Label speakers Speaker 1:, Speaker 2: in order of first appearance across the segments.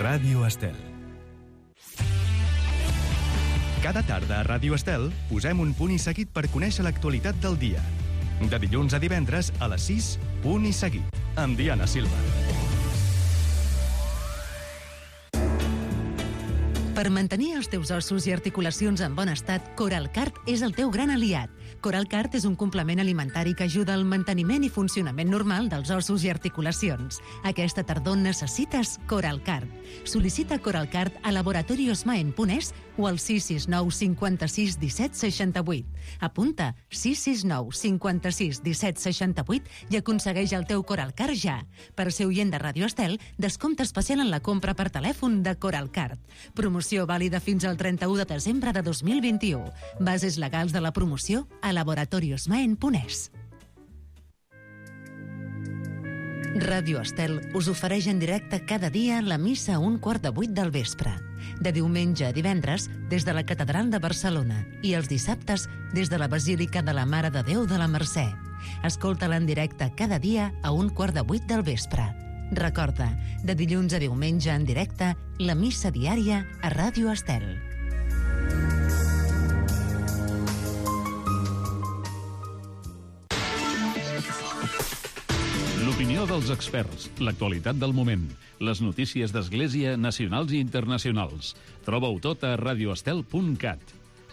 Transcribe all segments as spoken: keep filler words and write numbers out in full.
Speaker 1: Ràdio Estel. Cada tarda a Ràdio Estel posem un punt i seguit per conèixer l'actualitat del dia. De dilluns a divendres a les sis, punt i seguit, amb Diana Silva.
Speaker 2: Per mantenir els teus ossos i articulacions en bon estat, Coralcart és el teu gran aliat. Coralcart és un complement alimentari que ajuda al manteniment i funcionament normal dels ossos i articulacions. Aquesta tardor necessites Coralcart. Sol·licita Coralcart a laboratoriosmaen punt es o al sis sis nou cinquanta-sis disset seixanta-vuit. Apunta sis sis nou cinquanta-sis disset seixanta-vuit i aconsegueix el teu Coralcart ja. Per ser oient de Ràdio Estel, descompte especial en la compra per telèfon de Coralcart. Promoció vàlida fins al trenta-u de desembre de dos mil vint-i-u. Bases legals de la promoció a laboratoriosmaen punt es. Ràdio Estel us ofereix en directe cada dia la missa a un quart de vuit del vespre. De diumenge a divendres, des de la Catedral de Barcelona, i els dissabtes, des de la Basílica de la Mare de Déu de la Mercè. Escolta-la en directe cada dia a un quart de vuit del vespre. Recorda, de dilluns a diumenge en directe, la missa diària a Ràdio Estel.
Speaker 3: L'opinió dels experts, l'actualitat del moment, les notícies d'Església nacionals i internacionals. Troba-ho tot a radioestel punt cat.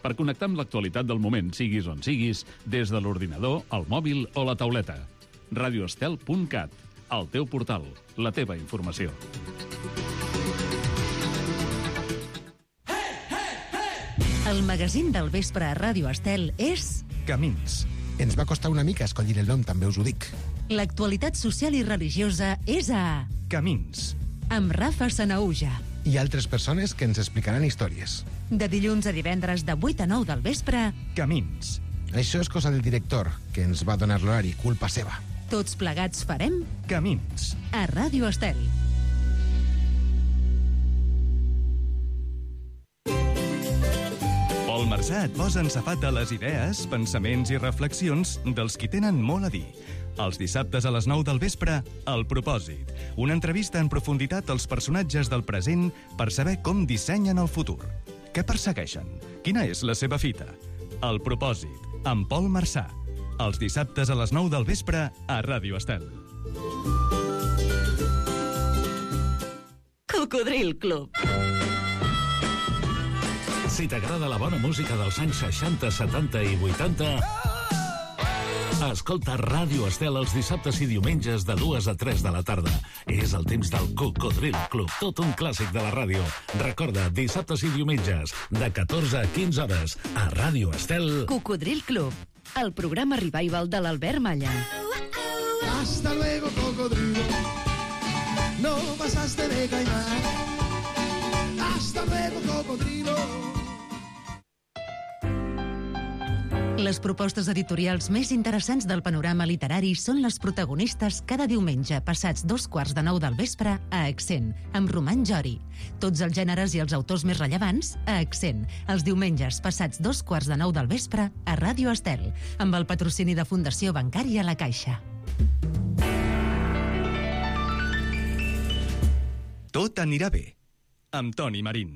Speaker 3: Per connectar amb l'actualitat del moment, siguis on siguis, des de l'ordinador, el mòbil o la tauleta. radioestel punt cat, el teu portal, la teva informació.
Speaker 2: El magazín del vespre a Ràdio Estel és...
Speaker 1: Camins.
Speaker 4: Ens va costar una mica escollir el nom, també us ho dic.
Speaker 2: L'actualitat social i religiosa és a...
Speaker 1: Camins.
Speaker 2: Amb Rafa Sanaúja.
Speaker 4: I altres persones que ens explicaran històries.
Speaker 2: De dilluns a divendres de vuit a nou del vespre...
Speaker 1: Camins.
Speaker 4: Això és cosa del director, que ens va donar l'horari, culpa seva.
Speaker 2: Tots plegats farem...
Speaker 1: Camins.
Speaker 2: A Ràdio Estel.
Speaker 1: Pol Marsà et posa en safata les idees, pensaments i reflexions dels qui tenen molt a dir. Els dissabtes a les nou del vespre, El Propòsit. Una entrevista en profunditat als personatges del present per saber com dissenyen el futur. Què persegueixen? Quina és la seva fita? El Propòsit, amb Pol Marsà. Els dissabtes a les nou del vespre a Ràdio Estel.
Speaker 2: Cocodril Club.
Speaker 3: Si t'agrada la bona música dels anys seixanta, setanta i vuitanta... Escolta Ràdio Estel els dissabtes i diumenges de dues a tres de la tarda. És el temps del Cocodril Club, tot un clàssic de la ràdio. Recorda, dissabtes i diumenges, de catorze a quinze hores, a Ràdio Estel...
Speaker 2: Cocodril Club, el programa revival de l'Albert Malla.
Speaker 5: Hasta luego, cocodrilo. No pasaste de caimán. Hasta luego, cocodrilo.
Speaker 2: Les propostes editorials més interessants del panorama literari són les protagonistes cada diumenge passats dos quarts de nou del vespre a Accent, amb Roman Jori. Tots els gèneres i els autors més rellevants a Accent, els diumenges passats dos quarts de nou del vespre a Ràdio Estel, amb el patrocini de Fundació Bancària La Caixa.
Speaker 1: Tot anirà bé, amb Toni Marín.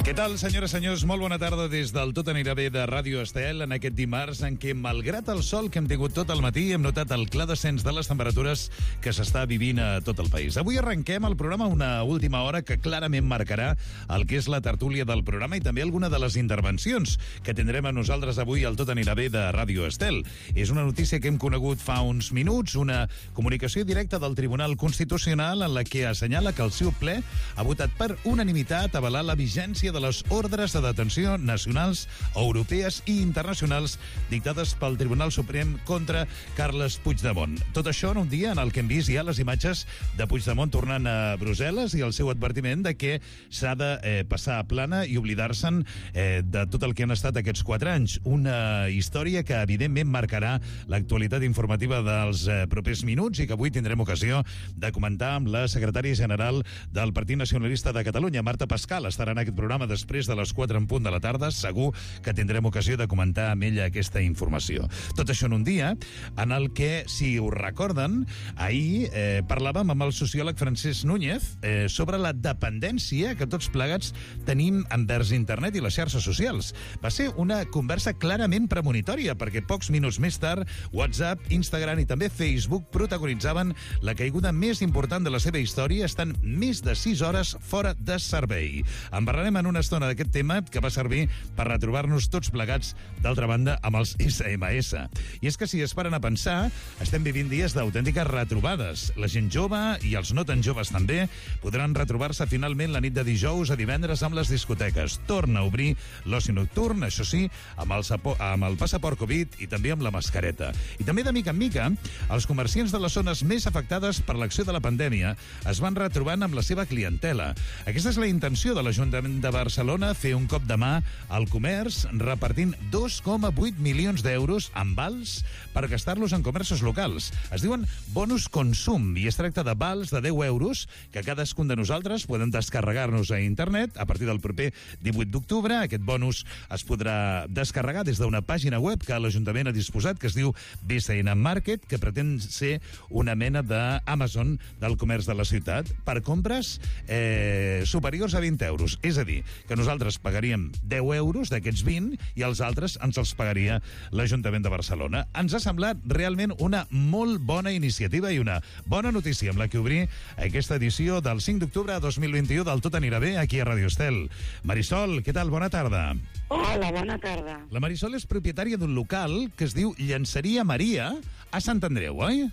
Speaker 6: Què tal, senyores i senyors? Molt bona tarda des del Tot anirà bé de Ràdio Estel en aquest dimarts en què, malgrat el sol que hem tingut tot el matí, hem notat el clar descens de les temperatures que s'està vivint a tot el país. Avui arrenquem el programa una última hora que clarament marcarà el que és la tertúlia del programa i també alguna de les intervencions que tindrem a nosaltres avui al Tot anirà bé de Ràdio Estel. És una notícia que hem conegut fa uns minuts, una comunicació directa del Tribunal Constitucional en la que assenyala que el seu ple ha votat per unanimitat avalar la vigència de les ordres de detenció nacionals, europees i internacionals dictades pel Tribunal Suprem contra Carles Puigdemont. Tot això en un dia en el que hem vist ja les imatges de Puigdemont tornant a Brussel·les i el seu advertiment de que s'ha de eh, passar a plana i oblidar-se'n eh, de tot el que han estat aquests quatre anys. Una història que evidentment marcarà l'actualitat informativa dels eh, propers minuts i que avui tindrem ocasió de comentar amb la secretària general del Partit Nacionalista de Catalunya, Marta Pascal. Estarà en aquest programa programa després de les quatre en punt de la tarda. Segur que tindrem ocasió de comentar amb ella aquesta informació. Tot això en un dia en el que, si ho recorden, ahir eh, parlàvem amb el sociòleg Francesc Núñez eh, sobre la dependència que tots plegats tenim envers internet i les xarxes socials. Va ser una conversa clarament premonitòria, perquè pocs minuts més tard WhatsApp, Instagram i també Facebook protagonitzaven la caiguda més important de la seva història, estan més de sis hores fora de servei. En parlarem en una estona d'aquest tema, que va servir per retrobar-nos tots plegats, d'altra banda, amb els essa ema essa. I és que, si es paren a pensar, estem vivint dies d'autèntiques retrobades. La gent jove i els no tan joves també podran retrobar-se finalment la nit de dijous a divendres amb les discoteques. Torna a obrir l'oci nocturn, això sí, amb el, sapo, amb el passaport Covid i també amb la mascareta. I també, de mica en mica, els comerciants de les zones més afectades per l'acció de la pandèmia es van retrobant amb la seva clientela. Aquesta és la intenció de l'Ajuntament de Barcelona, fer un cop de mà al comerç, repartint dos coma vuit milions d'euros en vals per gastar-los en comerços locals. Es diuen bonus consum i es tracta de vals de deu euros que cadascun de nosaltres podem descarregar-nos a internet a partir del proper divuit d'octubre. Aquest bonus es podrà descarregar des d'una pàgina web que l'Ajuntament ha disposat, que es diu B C N Market, que pretén ser una mena d'Amazon del comerç de la ciutat, per compres eh, superiors a vint euros. És a dir, que nosaltres pagaríem deu euros d'aquests vint i els altres ens els pagaria l'Ajuntament de Barcelona. Ens ha semblat realment una molt bona iniciativa i una bona notícia amb la que obrir aquesta edició del cinc d'octubre de dos mil vint-i-u del Tot anirà bé aquí a Radio Estel. Marisol, què tal? Bona tarda.
Speaker 7: Hola, bona tarda.
Speaker 6: La Marisol és propietària d'un local que es diu Llenceria Maria a Sant Andreu, oi?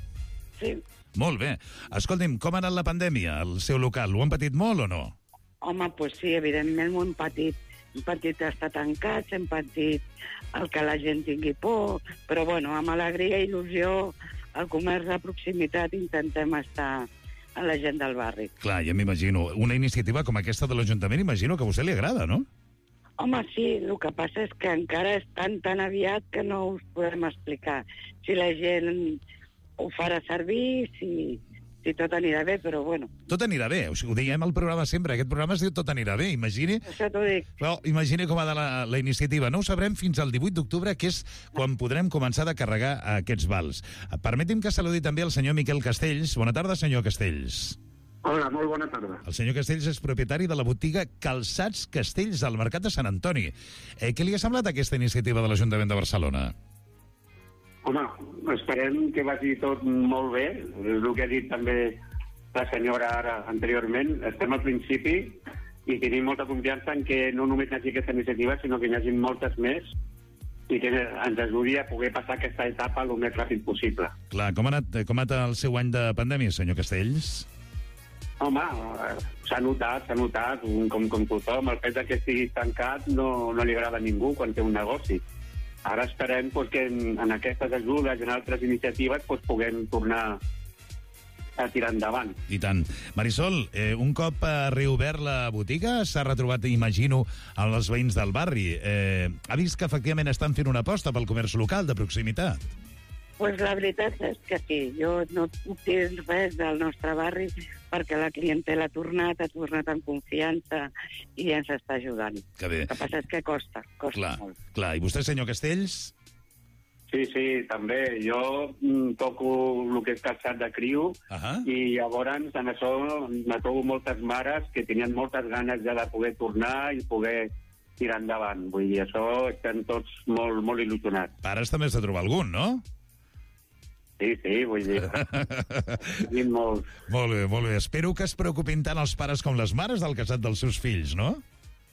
Speaker 7: Sí.
Speaker 6: Molt bé. Escolti'm, com ha anat la pandèmia al seu local? Ho han patit molt o no?
Speaker 7: Home, doncs pues sí, evidentment ho hem patit. Hem patit estar tancats, hem patit el que la gent tingui por, però bueno, amb alegria i il·lusió, al comerç de proximitat intentem estar a la gent del barri.
Speaker 6: Clar, ja m'imagino. Una iniciativa com aquesta de l'Ajuntament, imagino que a vostè li agrada, no?
Speaker 7: Home, sí, el que passa és que encara és tan, tan aviat que no us podem explicar si la gent ho farà servir, si, si tot anirà bé, però bueno.
Speaker 6: Tot anirà bé, o sigui, ho diem al programa sempre, aquest programa es diu Tot anirà bé, imagini...
Speaker 7: Això t'ho dic.
Speaker 6: Però imagini com ha de la, la iniciativa. No ho sabrem fins al divuit d'octubre, que és quan podrem començar a carregar aquests vals. Permeti'm que saludi també el senyor Miquel Castells. Bona tarda, senyor Castells.
Speaker 8: Hola, molt bona tarda.
Speaker 6: El senyor Castells és propietari de la botiga Calçats Castells al Mercat de Sant Antoni. Eh, què li ha semblat aquesta iniciativa de l'Ajuntament de Barcelona?
Speaker 8: Home, esperem que vagi tot molt bé. El que ha dit també la senyora ara anteriorment. Estem al principi i tenim molta confiança en que no només hi hagi aquesta iniciativa, sinó que hi hagi moltes més i que ens ajudi a poder passar aquesta etapa el més ràpid possible.
Speaker 6: Clar, com ha anat, com ha anat el seu any de pandèmia, senyor Castells?
Speaker 8: Home, s'ha notat, s'ha notat, com, com tothom, el fet que estigui tancat no, no li agrada a ningú quan té un negoci. Ara esperem pues, que en, en aquestes ajudes i en altres iniciatives pues, puguem tornar a tirar endavant.
Speaker 6: I tant. Marisol, eh, un cop ha reobert la botiga, s'ha retrobat, imagino, amb els veïns del barri. Eh, ha vist que efectivament estan fent una aposta pel comerç local de proximitat?
Speaker 7: Pues la veritat és que sí. Jo no puc dir res del nostre barri perquè la clientela ha tornat, ha tornat amb confiança i ens està ajudant.
Speaker 6: Que bé.
Speaker 7: El que passa és que costa, costa
Speaker 6: clar,
Speaker 7: molt.
Speaker 6: Clar, i vostè, senyor Castells?
Speaker 8: Sí, sí, també. Jo mm, toco el que és calçat de criu uh -huh. i llavors en això me trobo moltes mares que tenien moltes ganes ja de poder tornar i poder tirar endavant. Vull dir, això estem tots molt, molt il·lusionats.
Speaker 6: Pares també has de trobar algun, no?
Speaker 8: Sí, sí, vull dir... molt...
Speaker 6: molt bé, molt bé. Espero que es preocupin tant els pares com les mares del casat dels seus fills, no?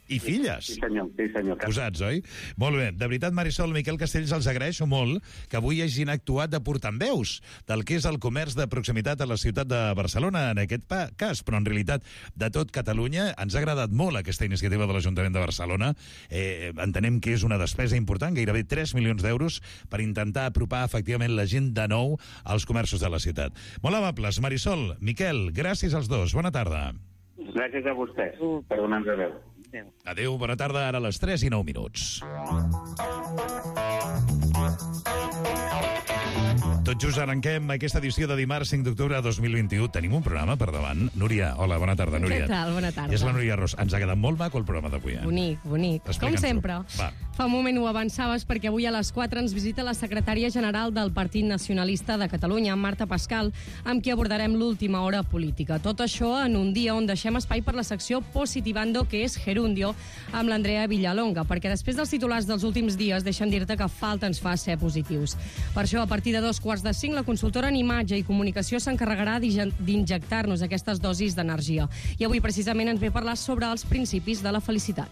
Speaker 6: I filles.
Speaker 8: Sí, senyor, sí, senyor.
Speaker 6: Posats, oi? Molt bé. De veritat, Marisol, Miquel Castells, els agraeixo molt que avui hagin actuat de portaveus del que és el comerç de proximitat a la ciutat de Barcelona, en aquest cas, però en realitat de tot Catalunya. Ens ha agradat molt aquesta iniciativa de l'Ajuntament de Barcelona. Eh, entenem que és una despesa important, gairebé tres milions d'euros, per intentar apropar efectivament la gent de nou als comerços de la ciutat. Molt amables. Marisol, Miquel, gràcies als dos. Bona tarda.
Speaker 8: Gràcies a vostès per donar-nos veu.
Speaker 7: Adéu.
Speaker 6: Adéu, bona tarda, ara a les tres i nou minuts. Tot Tot just arrenquem aquesta edició de dimarts cinc d'octubre de dos mil vint-i-u. Tenim un programa per davant. Núria, hola, bona tarda, Núria.
Speaker 9: Què tal? Bona tarda.
Speaker 6: És la Núria Ros. Ens ha quedat molt maco el programa d'avui, eh?
Speaker 9: Bonic, bonic. Com sempre.
Speaker 6: Va.
Speaker 9: Fa un moment ho avançaves perquè avui a les quatre ens visita la secretària general del Partit Nacionalista de Catalunya, Marta Pascal, amb qui abordarem l'última hora política. Tot això en un dia on deixem espai per la secció Positivando, que és Gerundio, amb l'Andrea Villalonga, perquè després dels titulars dels últims dies deixen dir-te que falta ens fa ser positius. Per això, a partir de dos quarts de cinc, la consultora en imatge i comunicació s'encarregarà d'injectar-nos aquestes dosis d'energia. I avui, precisament, ens ve a parlar sobre els principis de la felicitat.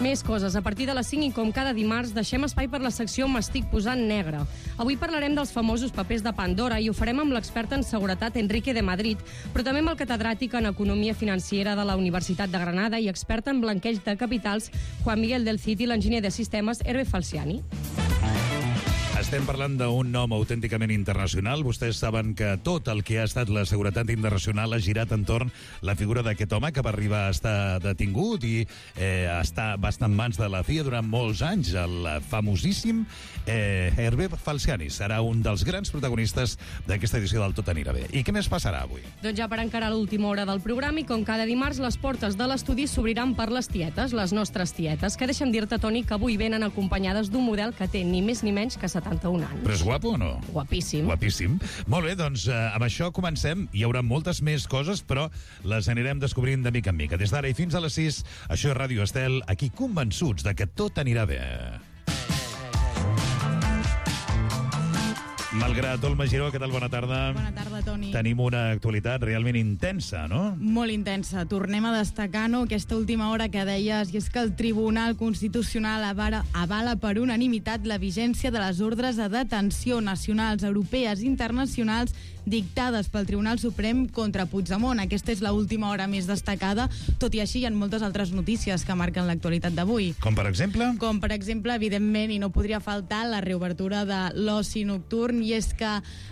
Speaker 9: Més coses. A partir de les cinc i com cada dimarts deixem espai per la secció M'estic posant negre. Avui parlarem dels famosos papers de Pandora i ho farem amb l'expert en seguretat Enrique de Madrid, però també amb el catedràtic en economia financera de la Universitat de Granada i expert en blanqueig de capitals Juan Miguel del Cid i l'enginyer de sistemes Hervé Falciani.
Speaker 6: Estem parlant d'un nom autènticament internacional. Vostès saben que tot el que ha estat la seguretat internacional ha girat entorn la figura d'aquest home que va arribar a estar detingut i eh, està, va estar en mans de la C I A durant molts anys. El famosíssim eh, Hervé Falciani serà un dels grans protagonistes d'aquesta edició del Tot anirà bé. I què més passarà avui?
Speaker 9: Doncs ja per encarar l'última hora del programa i com cada dimarts les portes de l'estudi s'obriran per les tietes, les nostres tietes, que deixa'm dir-te, Toni, que avui venen acompanyades d'un model que té ni més ni menys que setanta-un anys.
Speaker 6: Però és guapo o no?
Speaker 9: Guapíssim.
Speaker 6: Guapíssim. Molt bé, doncs eh, amb això comencem. Hi haurà moltes més coses, però les anirem descobrint de mica en mica. Des d'ara i fins a les sis, això és Ràdio Estel, aquí convençuts de que tot anirà bé. Malgrat Olma Giró, què tal? Bona tarda.
Speaker 10: Bona tarda, Toni.
Speaker 6: Tenim una actualitat realment intensa, no?
Speaker 10: Molt intensa. Tornem a destacar, no?, aquesta última hora que deies, i és que el Tribunal Constitucional avala, avala per unanimitat la vigència de les ordres de detenció nacionals, europees i internacionals dictades pel Tribunal Suprem contra Puigdemont. Aquesta és l'última hora més destacada, tot i així hi ha moltes altres notícies que marquen l'actualitat d'avui.
Speaker 6: Com per exemple?
Speaker 10: Com per exemple, evidentment, i no podria faltar, la reobertura de l'oci nocturn, i és que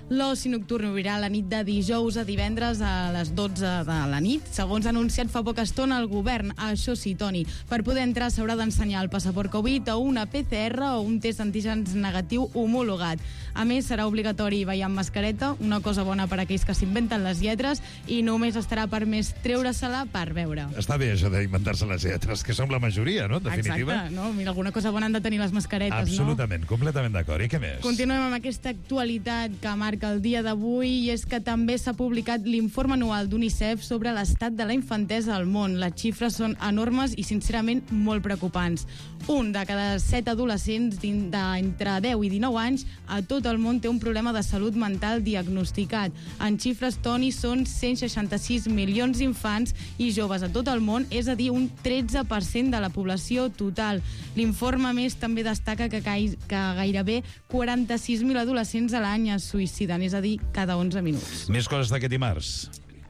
Speaker 10: l'oci nocturn obrirà la nit de dijous a divendres a les dotze de la nit, segons ha anunciat fa poca estona el govern. Això sí, Toni, per poder entrar s'haurà d'ensenyar el passaport Covid o una P C R o un test d'antígens negatiu homologat. A més, serà obligatori ballar amb mascareta, una cosa bona per a aquells que s'inventen les lletres, i només estarà permès treure-se-la per veure.
Speaker 6: Està bé això d'inventar-se les lletres, que som la majoria, no? En definitiva.
Speaker 10: Exacte, no? Mira, alguna cosa bona han de tenir les mascaretes,
Speaker 6: Absolutament,
Speaker 10: no?
Speaker 6: completament d'acord. I què més?
Speaker 10: Continuem amb aquesta actualitat que marca el dia d'avui, i és que també s'ha publicat l'informe anual d'UNICEF sobre l'estat de la infantesa al món. Les xifres són enormes i, sincerament, molt preocupants. Un de cada set adolescents d'entre deu i dinou anys a tot el món té un problema de salut mental diagnosticat. En xifres, Toni, són cent seixanta-sis milions d'infants i joves a tot el món, és a dir, un tretze per cent de la població total. L'informe, més, també destaca que, que gairebé quaranta-sis mil adolescents a l'any es suïciden, és a dir, cada onze minuts.
Speaker 6: Més coses d'aquest dimarts.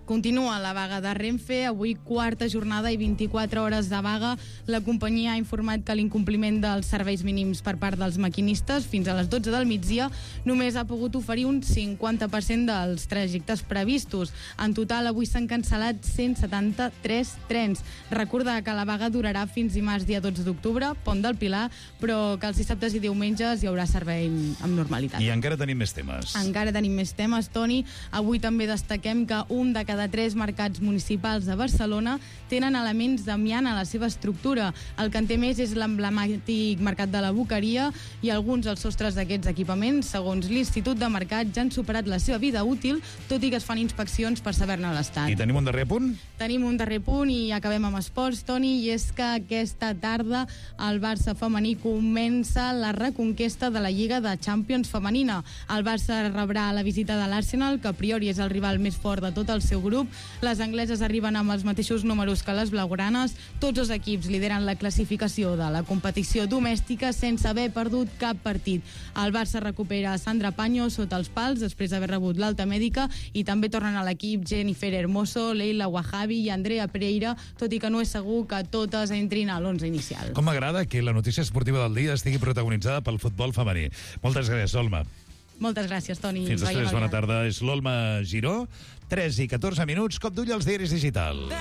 Speaker 10: Continua la vaga de Renfe, avui quarta jornada i vint-i-quatre hores de vaga. La companyia ha informat que l'incompliment dels serveis mínims per part dels maquinistes fins a les dotze del migdia només ha pogut oferir un cinquanta per cent dels trajectes previstos. En total, avui s'han cancel·lat cent setanta-tres trens. Recordar que la vaga durarà fins dimarts dia dotze d'octubre, Pont del Pilar, però que els dissabtes i diumenges hi haurà servei amb normalitat.
Speaker 6: I encara tenim més temes.
Speaker 10: Encara tenim més temes, Toni. Avui també destaquem que un de cada de tres mercats municipals de Barcelona tenen elements d'amiant a la seva estructura. El que en té més és l'emblemàtic mercat de la Boqueria, i alguns dels sostres d'aquests equipaments, segons l'Institut de Mercat, ja han superat la seva vida útil, tot i que es fan inspeccions per saber-ne l'estat.
Speaker 6: I tenim un darrer punt?
Speaker 10: Tenim un darrer punt i acabem amb esports, Toni, i és que aquesta tarda el Barça femení comença la reconquesta de la Lliga de Champions femenina. El Barça rebrà la visita de l'Arsenal, que a priori és el rival més fort de tot el seu grup. Les angleses arriben amb els mateixos números que les blaugranes. Tots els equips lideren la classificació de la competició domèstica sense haver perdut cap partit. El Barça recupera Sandra Paño sota els pals després d'haver rebut l'alta mèdica, i també tornen a l'equip Jennifer Hermoso, Leila Wahabi i Andrea Pereira, tot i que no és segur que totes entrin a l'onze inicial.
Speaker 6: Com m'agrada que la notícia esportiva del dia estigui protagonitzada pel futbol femení. Moltes gràcies, Olma.
Speaker 10: Moltes gràcies, Toni.
Speaker 6: Fins després, bona tarda. És l'Olma Giró, tres i catorze minuts, cop d'ull als diaris digitals.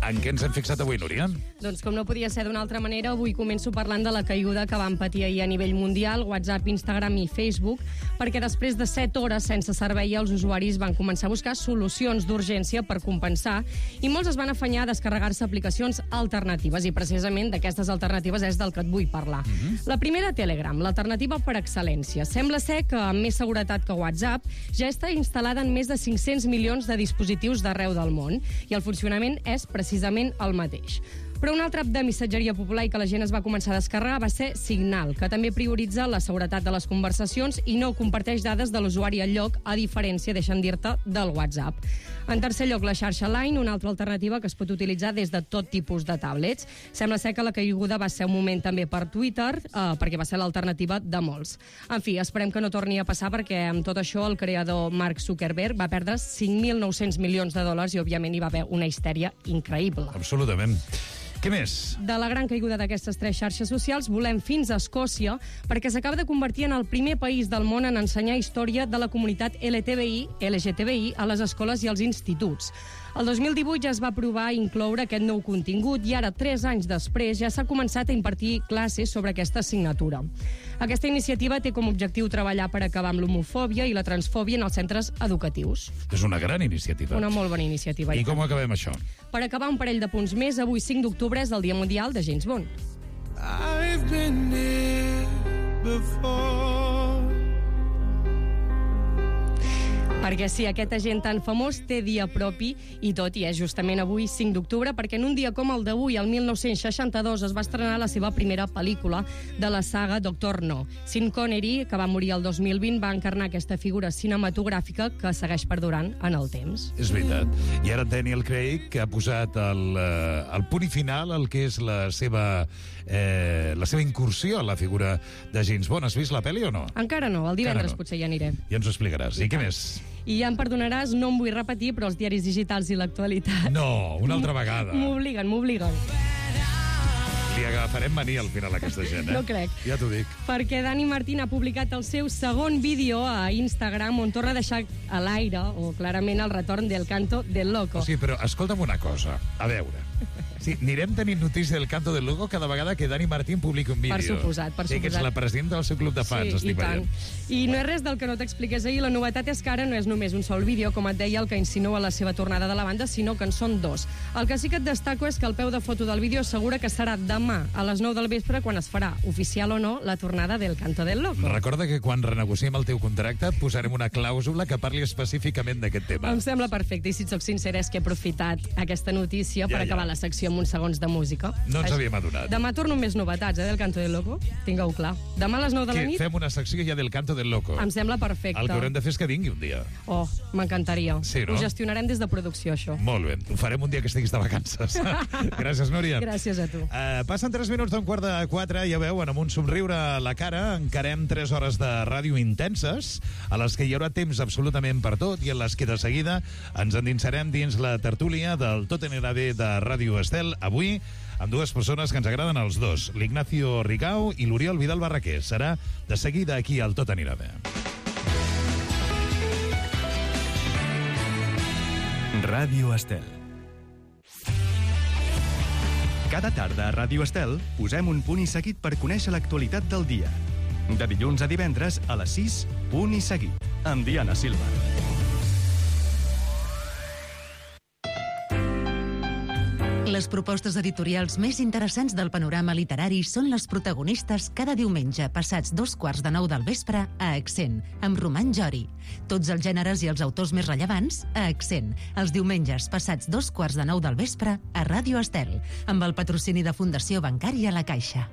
Speaker 6: En què ens hem fixat avui, Núria?
Speaker 9: Doncs com no podia ser d'una altra manera, avui començo parlant de la caiguda que van patir ahir a nivell mundial, WhatsApp, Instagram i Facebook, perquè després de set hores sense servei els usuaris van començar a buscar solucions d'urgència per compensar i molts es van afanyar a descarregar-se aplicacions alternatives i precisament d'aquestes alternatives és del que et vull parlar. Mm-hmm. La primera, Telegram, l'alternativa per excel·lència. Sembla ser que amb més seguretat que WhatsApp ja està instal·lada en més de cinc-cents milions de dispositius d'arreu del món i el funcionament és precisament el mateix. Però un altre app de missatgeria popular i que la gent es va començar a descarregar va ser Signal, que també prioritza la seguretat de les conversacions i no comparteix dades de l'usuari al lloc, a diferència, deixa'm dir-te, del WhatsApp. En tercer lloc, la xarxa Line, una altra alternativa que es pot utilitzar des de tot tipus de tablets. Sembla ser que la caiguda va ser un moment també per Twitter, eh, perquè va ser l'alternativa de molts. En fi, esperem que no torni a passar perquè amb tot això el creador Mark Zuckerberg va perdre cinc mil nou-cents milions de dòlars i, òbviament, hi va haver una histèria increïble.
Speaker 6: Absolutament. Què més?
Speaker 9: De la gran caiguda d'aquestes tres xarxes socials volem fins a Escòcia perquè s'acaba de convertir en el primer país del món en ensenyar història de la comunitat L G T B I, L G T B I a les escoles i als instituts. El dos mil divuit ja es va provar incloure aquest nou contingut i ara, tres anys després, ja s'ha començat a impartir classes sobre aquesta assignatura. Aquesta iniciativa té com a objectiu treballar per acabar amb l'homofòbia i la transfòbia en els centres educatius.
Speaker 6: És una gran iniciativa.
Speaker 9: Una molt bona iniciativa.
Speaker 6: I com acabem això?
Speaker 9: Per acabar un parell de punts més, avui cinc d'octubre és el Dia Mundial de James Bond.
Speaker 5: I've been here before.
Speaker 9: Perquè sí, aquest agent tan famós té dia propi i tot, i és justament avui, cinc d'octubre, perquè en un dia com el d'avui, el mil nou-cents seixanta-dos, es va estrenar la seva primera pel·lícula de la saga Doctor No. Sean Connery, que va morir el dos mil vint, va encarnar aquesta figura cinematogràfica que segueix perdurant en el temps.
Speaker 6: És veritat. I ara Daniel Craig, que ha posat el, el punt i final al que és la seva, eh, la seva incursió a la figura de James Bond. Has vist la pel·li o no?
Speaker 9: Encara no, el divendres
Speaker 6: no.
Speaker 9: Potser ja aniré.
Speaker 6: Ja ens ho explicaràs. I, I què més?
Speaker 9: I ja em perdonaràs, no em vull repetir, però els diaris digitals i l'actualitat...
Speaker 6: No, una altra vegada.
Speaker 9: M'obliguen, m'obliguen.
Speaker 6: Li agafarem mania al final a aquesta gent, eh?
Speaker 9: No crec.
Speaker 6: Ja t'ho dic.
Speaker 9: Perquè Dani Martín ha publicat el seu segon vídeo a Instagram on torna a deixar a l'aire, o clarament el retorn del canto del loco.
Speaker 6: O sigui, però escolta'm una cosa. A veure... Sí, anirem tenint notícia del canto del loco cada vegada que Dani Martín publiqui un vídeo.
Speaker 9: Per suposat, per
Speaker 6: sí,
Speaker 9: suposat.
Speaker 6: que ets la presidenta del seu club de fans,
Speaker 9: sí,
Speaker 6: estic
Speaker 9: i tant.
Speaker 6: veient.
Speaker 9: I no és res del que no t'expliqués ahir. La novetat és que ara no és només un sol vídeo, com et deia, el que insinua la seva tornada de la banda, sinó que en són dos. El que sí que et destaco és que el peu de foto del vídeo assegura que serà demà a les nou del vespre quan es farà, oficial o no, la tornada del canto del loco.
Speaker 6: Recorda que quan renegociem el teu contracte et posarem una clàusula que parli específicament d'aquest tema.
Speaker 9: Em sembla perfecte, i si et soc sincera és que he aprofitat aquesta notícia
Speaker 6: ja,
Speaker 9: per acabar
Speaker 6: ja.
Speaker 9: la secció amb uns segons de música.
Speaker 6: No ens havíem adonat.
Speaker 9: Demà torno amb més novetats, eh, del Canto del Loco. Tingueu clar. Demà a les nou de la
Speaker 6: que
Speaker 9: nit...
Speaker 6: fem una secció ja del Canto del Loco.
Speaker 9: Em sembla perfecte.
Speaker 6: El que haurem de fer és que vingui un dia.
Speaker 9: Oh, m'encantaria.
Speaker 6: Sí, no?
Speaker 9: Ho gestionarem des de producció, això.
Speaker 6: Molt bé. Ho farem un dia que estiguis de vacances. Gràcies, Núria.
Speaker 9: Gràcies a tu.
Speaker 6: Uh, passen tres minuts d'un quart de quatre, ja veuen, amb un somriure a la cara, encarem tres hores de ràdio intenses, a les que hi haurà temps absolutament per tot, i en les que de seguida ens endinsarem dins la tertúlia del Tot anirà bé de Ràdio Estel, avui amb dues persones que ens agraden els dos, l'Ignacio Rigau i l'Oriol Vidal Barraquer. Serà de seguida aquí al Tot anirà bé.
Speaker 1: Ràdio Estel. Cada tarda a Ràdio Estel posem un punt i seguit per conèixer l'actualitat del dia. De dilluns a divendres a les sis, punt i seguit, amb Diana Silva.
Speaker 2: Les propostes editorials més interessants del panorama literari són les protagonistes cada diumenge passats dos quarts de nou del vespre a Accent, amb Roman Jori. Tots els gèneres i els autors més rellevants a Accent, els diumenges passats dos quarts de nou del vespre a Ràdio Estel, amb el patrocini de Fundació Bancària La Caixa.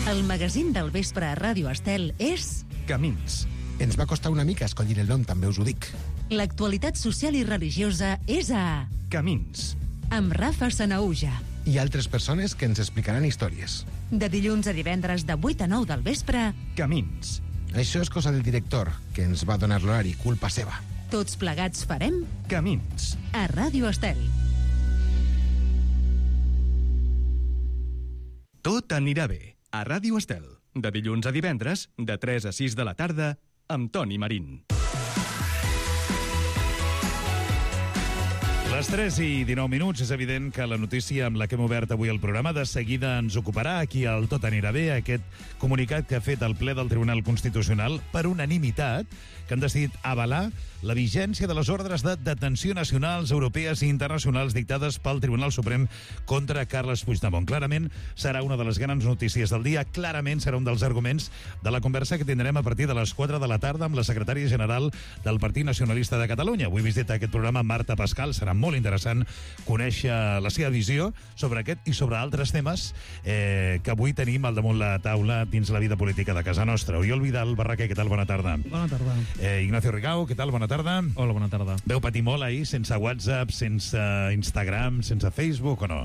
Speaker 2: El magazín del vespre a Ràdio Estel és...
Speaker 1: Camins.
Speaker 4: Ens va costar una mica escollir el nom, també us ho dic.
Speaker 2: L'actualitat social i religiosa és a...
Speaker 1: Camins.
Speaker 2: Amb Rafa Sanaúja.
Speaker 4: I altres persones que ens explicaran històries.
Speaker 2: De dilluns a divendres de vuit a nou del vespre...
Speaker 1: Camins.
Speaker 4: Això és cosa del director, que ens va donar l'horari, culpa seva.
Speaker 2: Tots plegats farem...
Speaker 1: Camins.
Speaker 2: A Ràdio Estel.
Speaker 1: Tot anirà bé. A Ràdio Estel. De dilluns a divendres, de tres a sis de la tarda, amb Toni Marín.
Speaker 6: Les tres i dinou minuts, és evident que la notícia amb la que hem obert avui el programa de seguida ens ocuparà. Aquí al Tot anirà bé, aquest comunicat que ha fet el ple del Tribunal Constitucional per unanimitat, que han decidit avalar la vigència de les ordres de detenció nacionals, europees i internacionals dictades pel Tribunal Suprem contra Carles Puigdemont. Clarament serà una de les grans notícies del dia, clarament serà un dels arguments de la conversa que tindrem a partir de les quatre de la tarda amb la secretària general del Partit Nacionalista de Catalunya. Avui visita aquest programa Marta Pascal, serà molt interessant conèixer la seva visió sobre aquest i sobre altres temes eh, que avui tenim al damunt la taula dins la vida política de casa nostra. Oriol Vidal Barraquer, què tal? Bona tarda.
Speaker 11: Bona tarda.
Speaker 6: Eh, Ignacio Rigau, què tal? Bona tarda.
Speaker 11: Hola, bona tarda.
Speaker 6: Veu patir molt ahir, sense WhatsApp, sense Instagram, sense Facebook o no?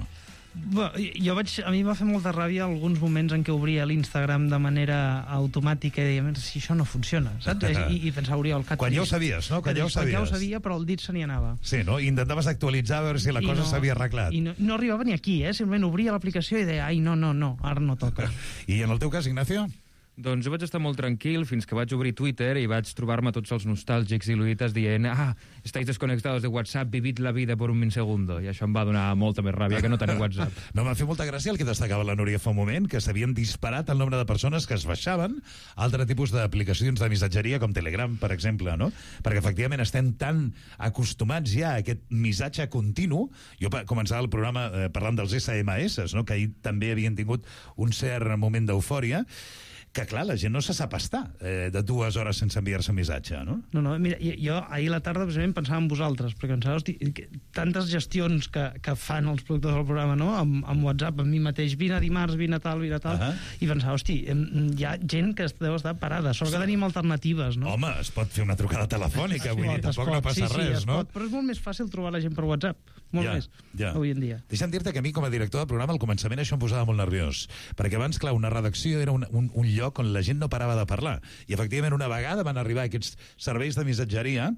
Speaker 11: Bé, jo vaig, a mi va fer molta ràbia alguns moments en què obria l'Instagram de manera automàtica i deia, si això no funciona, saps? I, i pensava, Oriol...
Speaker 6: Quan ja ho sabies, no? Quan ja ho sabies.
Speaker 11: Quan ja ho sabia, però el dit se n'hi anava.
Speaker 6: Sí, no? I intentaves actualitzar a veure si la
Speaker 11: I
Speaker 6: cosa
Speaker 11: no,
Speaker 6: s'havia arreglat.
Speaker 11: I no, no arribava ni aquí, eh? Simplement obria l'aplicació i deia, ai, no, no, no, ara no toca.
Speaker 6: I en el teu cas, Ignacio?
Speaker 12: Doncs jo vaig estar molt tranquil fins que vaig obrir Twitter i vaig trobar-me tots els nostàlgics i luites dient ah, estáis desconectados de WhatsApp, vivid la vida por un segundo. I això em va donar molta més ràbia que no tenir WhatsApp.
Speaker 6: No, m'ha fet molta gràcia el que destacava la Núria fa un moment, que s'havien disparat el nombre de persones que es baixaven altre tipus d'aplicacions de missatgeria com Telegram, per exemple, no? Perquè efectivament estem tan acostumats ja a aquest missatge continu. Jo començava el programa eh, parlant dels esse eme esse, no? Que ahir també havien tingut un cert moment d'eufòria, que, clar, la gent no se sap estar eh, de dues hores sense enviar-se missatge, no?
Speaker 11: No, no, mira, jo ahir a la tarda precisament pensava en vosaltres, perquè pensava, hosti, tantes gestions que, que fan els productors del programa, no?, amb, amb WhatsApp, amb mi mateix, vine dimarts, vine tal, vine tal, uh -huh. i pensava, hosti, hi ha gent que deu estar parada, sort que tenim alternatives, no?
Speaker 6: Home, es pot fer una trucada telefònica, vull dir, tampoc no passa
Speaker 11: sí, sí,
Speaker 6: res, no?
Speaker 11: Pot, però és molt més fàcil trobar la gent per WhatsApp, molt
Speaker 6: ja,
Speaker 11: més,
Speaker 6: ja.
Speaker 11: avui en dia.
Speaker 6: Deixa'm dir-te que a mi, com a director del programa, al començament això em posava molt nerviós, perquè abans, clar, una redacció era un, un, un lloc on la gent no parava de parlar. I, efectivament, una vegada van arribar aquests serveis de missatgeria,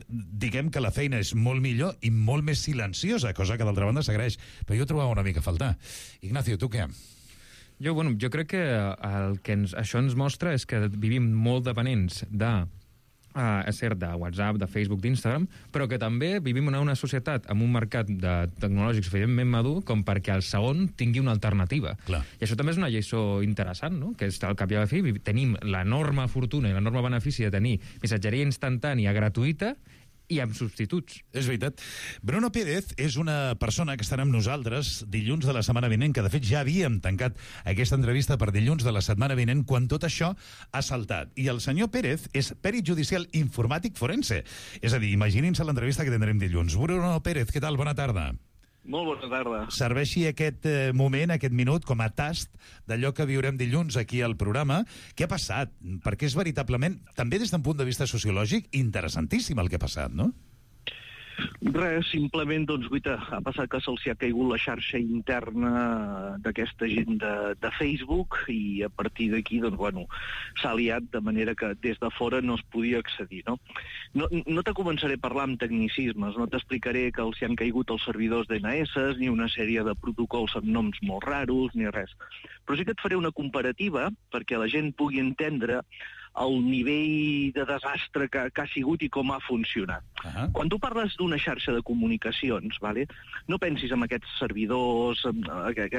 Speaker 6: diguem que la feina és molt millor i molt més silenciosa, cosa que d'altra banda s'agraeix. Però jo trobava una mica a faltar. Ignacio, tu què?
Speaker 12: Jo, bueno, jo crec que el que ens, això ens mostra és que vivim molt dependents de Uh, és cert, de WhatsApp, de Facebook, d'Instagram, però que també vivim en una societat amb un mercat de tecnològics suficientment madur com perquè el segon tingui una alternativa.
Speaker 6: Clar.
Speaker 12: I això també és una lliçó interessant, no? Que és, al cap i a la fi, tenim l'enorme fortuna i l'enorme benefici de tenir missatgeria instantània gratuïta i amb substituts.
Speaker 6: És veritat. Bruno Pérez és una persona que estarà amb nosaltres dilluns de la setmana vinent, que de fet ja havíem tancat aquesta entrevista per dilluns de la setmana vinent quan tot això ha saltat. I el senyor Pérez és pèrit judicial informàtic forense. És a dir, imaginin-se l'entrevista que tindrem dilluns. Bruno Pérez, què tal? Bona tarda.
Speaker 13: Molt bona tarda.
Speaker 6: Serveixi aquest eh, moment, aquest minut, com a tast d'allò que viurem dilluns aquí al programa. Què ha passat? Perquè és veritablement, també des d'un punt de vista sociològic, interessantíssim el que ha passat, no?
Speaker 13: Res, simplement, doncs, guita, ha passat que se'ls ha caigut la xarxa interna d'aquesta gent de, de Facebook i a partir d'aquí, doncs, bueno, s'ha liat de manera que des de fora no es podia accedir, no? No, no te començaré a parlar amb tecnicismes, no t'explicaré que els hi han caigut els servidors d'E Ene Esse, ni una sèrie de protocols amb noms molt raros, ni res. Però sí que et faré una comparativa perquè la gent pugui entendre el nivell de desastre que, que ha sigut i com ha funcionat. Uh-huh. Quan tu parles d'una xarxa de comunicacions, vale, no pensis en aquests servidors, en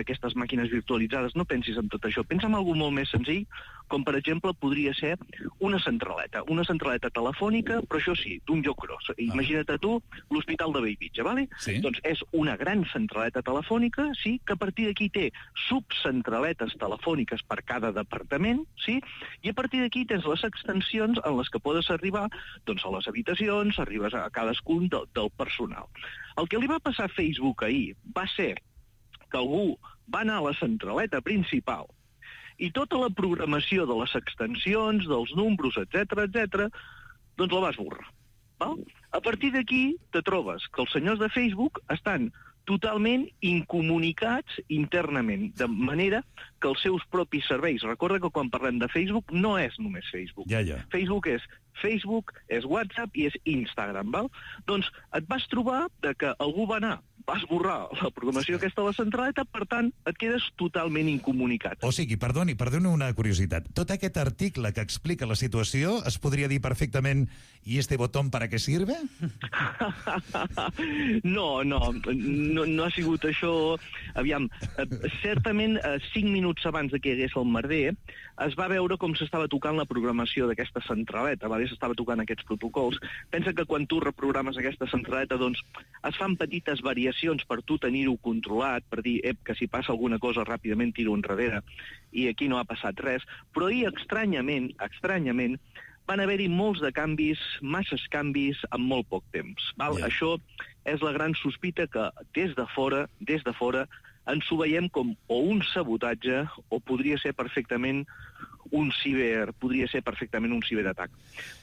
Speaker 13: aquestes màquines virtualitzades, no pensis en tot això. Pensa en alguna molt més senzill, com per exemple podria ser una centraleta, una centraleta telefònica, però això sí, d'un lloc gros. Imagina't a tu l'Hospital de Bellvitge, vale? Sí. Doncs és una gran centraleta telefònica, sí, que a partir d'aquí té subcentraletes telefòniques per cada departament, sí, i a partir d'aquí tens les extensions en les que podes arribar doncs, a les habitacions, arribes a cadascun del, del personal. El que li va passar a Facebook ahir va ser que algú va anar a la centraleta principal i tota la programació de les extensions, dels números, etcètera, etcètera, doncs la va esborrar. Val? A partir d'aquí te trobes que els senyors de Facebook estan totalment incomunicats internament, de manera que els seus propis serveis. Recorda que quan parlem de Facebook no és només Facebook.
Speaker 6: Ja, ja.
Speaker 13: Facebook és Facebook, és WhatsApp i és Instagram, val? Doncs et vas trobar de que algú va anar, va esborrar la programació aquesta de la centraleta, per tant, et quedes totalment incomunicat.
Speaker 6: O sigui, perdoni, perdoni una curiositat. Tot aquest article que explica la situació es podria dir perfectament ¿y este botón para qué sirve?
Speaker 13: No, no, no, no ha sigut això. Aviam, certament, cinc minuts abans de que hi hagués el merder, es va veure com s'estava tocant la programació d'aquesta centraleta, vale? S'estava tocant aquests protocols. Pensa que quan tu reprogrames aquesta centraleta, doncs, es fan petites variacions per tu tenir-ho controlat, per dir, ep, que si passa alguna cosa ràpidament tiro enrere, i aquí no ha passat res. Però ahir, estranyament, estranyament, van haver-hi molts de canvis, masses canvis, en molt poc temps. Val? Yeah. Això és la gran sospita que des de fora, des de fora, ens ho veiem com o un sabotatge o podria ser perfectament un ciber, podria ser perfectament un ciberatac.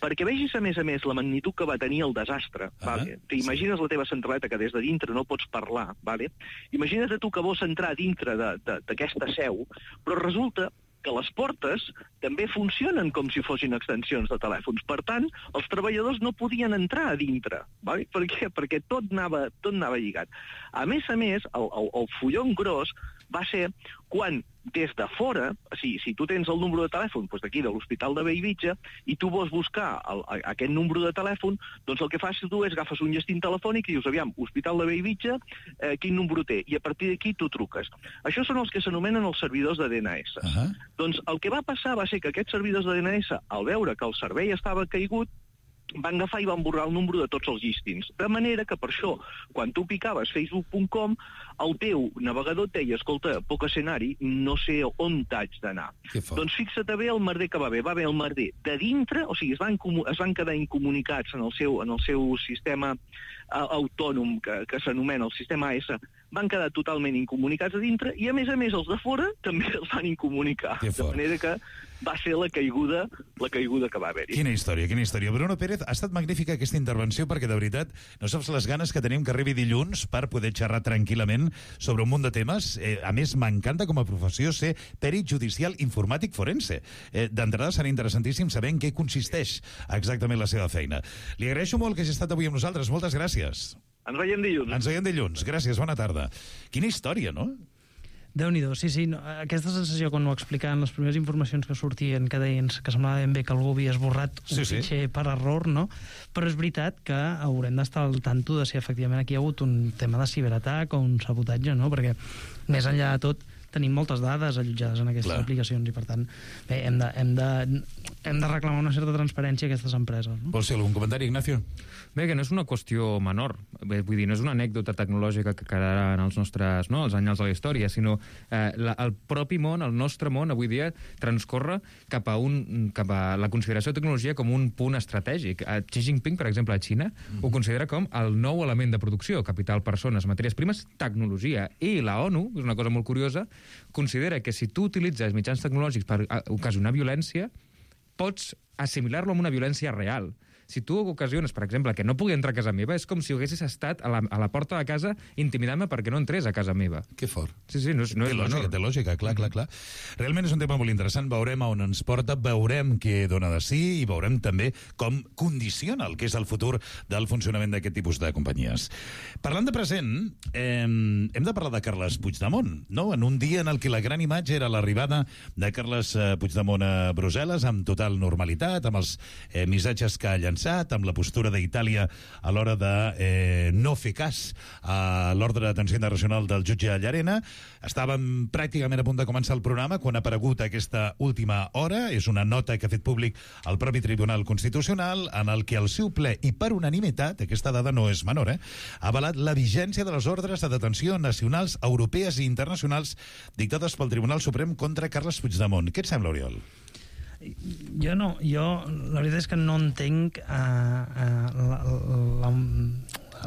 Speaker 13: Perquè vegis, a més a més, la magnitud que va tenir el desastre. Uh-huh. Vale? T'imagines la teva centraleta que des de dintre no pots parlar, vale? Imagina't tu que vols entrar dintre d'aquesta seu, però resulta que les portes també funcionen com si fossin extensions de telèfons. Per tant, els treballadors no podien entrar a dintre. Vale? Per què? Perquè tot anava, tot anava lligat. A més a més, el, el, el fullon gros va ser quan des de fora, o sigui, si tu tens el número de telèfon doncs d'aquí, de l'Hospital de Bellvitge, i tu vols buscar el, aquest número de telèfon, doncs el que fas tu és agafes un llestint telefònic i dius, aviam, Hospital de Bellvitge, eh, quin número té? I a partir d'aquí tu truques. Això són els que s'anomenen els servidors de D N S. Uh-huh. Doncs el que va passar va ser que aquests servidors de D N S, al veure que el servei estava caigut, van agafar i van borrar el número de tots els llistins. De manera que per això, quan tu picaves facebook punt com, el teu navegador et deia, escolta, poc escenari, no sé on t'haig d'anar. Doncs fixa't bé el merder que va haver. Va haver el merder de dintre, o sigui, es van, es van quedar incomunicats en el seu, en el seu sistema uh, autònom, que, que s'anomena el sistema A S, van quedar totalment incomunicats a dintre, i a més a més els de fora també els van incomunicar. De manera que va ser la caiguda, la caiguda que va haver-hi.
Speaker 6: Quina història, quina història. Bruno Pérez, ha estat magnífica aquesta intervenció perquè, de veritat, no saps les ganes que tenim que arribi dilluns per poder xerrar tranquil·lament sobre un munt de temes. Eh, a més, m'encanta com a professió ser perit judicial informàtic forense. Eh, D'entrada serà interessantíssim saber en què consisteix exactament la seva feina. Li agraeixo molt que hagi estat avui amb nosaltres. Moltes gràcies.
Speaker 13: Ens veiem dilluns.
Speaker 6: Ens veiem dilluns. Gràcies, bona tarda. Quina història, no?
Speaker 11: Déu-n'hi-do, sí, sí. No, aquesta sensació, quan ho explicaven, les primeres informacions que sortien, que deien que semblava ben bé que algú havia esborrat un
Speaker 6: sí, sí.
Speaker 11: fitxer per error, no? Però és veritat que haurem d'estar al tanto de si efectivament aquí hi ha hagut un tema de ciberatac o un sabotatge, no? Perquè, més enllà de tot, tenim moltes dades allotjades en aquestes Clar. aplicacions i, per tant, bé, hem de, hem, de, hem de reclamar una certa transparència a aquestes empreses. No?
Speaker 6: Vols fer algun comentari, Ignacio?
Speaker 12: Bé, que no és una qüestió menor. Bé, vull dir, no és una anècdota tecnològica que quedarà en els nostres, no, els anyals de la història, sinó eh, la, el propi món, el nostre món, avui dia, transcorre cap a, un, cap a la consideració de tecnologia com un punt estratègic. A Xi Jinping, per exemple, a Xina, mm. ho considera com el nou element de producció, capital, persones, matèries primes, tecnologia. I la ONU, és una cosa molt curiosa, considera que si tu utilitzes mitjans tecnològics per ocasionar violència, pots assimilar-lo amb una violència real. Si tu ocasiones, per exemple, que no pugui entrar a casa meva, és com si haguessis estat a la, a la porta de casa intimidant-me perquè no entrés a casa meva.
Speaker 6: Que fort.
Speaker 12: Sí, sí, no és, no
Speaker 6: té
Speaker 12: és
Speaker 6: lògica, té lògica, clar, clar, clar. Realment és un tema molt interessant, veurem on ens porta, veurem què dona de sí i veurem també com condiciona el que és el futur del funcionament d'aquest tipus de companyies. Parlant de present, eh, hem de parlar de Carles Puigdemont, no? En un dia en el que la gran imatge era l'arribada de Carles Puigdemont a Brussel·les amb total normalitat, amb els eh, missatges que ha llançat, amb la postura d'Itàlia a l'hora de eh, no fer cas a l'ordre d'atenció internacional del jutge Llarena. Estàvem pràcticament a punt de començar el programa quan ha aparegut aquesta última hora. És una nota que ha fet públic el propi Tribunal Constitucional en el que el seu ple, i per unanimitat, aquesta dada no és menor, eh, ha avalat la vigència de les ordres de detenció nacionals, europees i internacionals dictades pel Tribunal Suprem contra Carles Puigdemont. Què et sembla, Oriol?
Speaker 11: Jo no, jo la veritat és que no entenc uh, uh, la, la,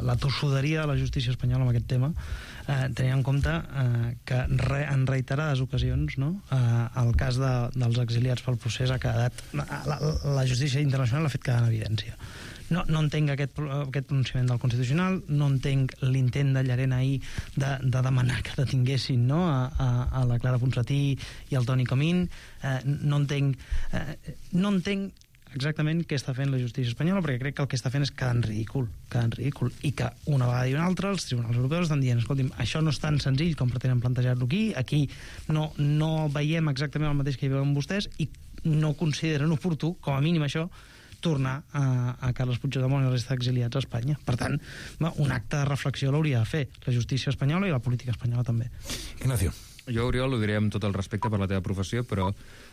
Speaker 11: la tossuderia de la justícia espanyola amb aquest tema, uh, tenint en compte uh, que re, en reiterades ocasions, no, uh, el cas de, dels exiliats pel procés ha quedat, la, la justícia internacional ha fet quedar en evidència. no, no entenc aquest, aquest pronunciament del Constitucional, no entenc l'intent de Llarena ahir de, de demanar que detinguessin, no?, a, a, a la Clara Ponsatí i al Toni Comín. Eh, no entenc... Eh, no entenc exactament què està fent la justícia espanyola, perquè crec que el que està fent és quedar en ridícul, quedar en ridícul, i que una vegada i una altra els tribunals europeus estan dient, escolti'm, això no és tan senzill com pretenen plantejar-lo aquí, aquí no, no veiem exactament el mateix que hi veuen vostès i no consideren oportú, com a mínim això, tornar a, a Carles Puigdemont i la resta d'exiliats a Espanya. Per tant, un acte de reflexió l'hauria de fer la justícia espanyola i la política espanyola també.
Speaker 6: Ignacio.
Speaker 12: Jo, Oriol, ho diré amb tot el respecte per la teva professió, però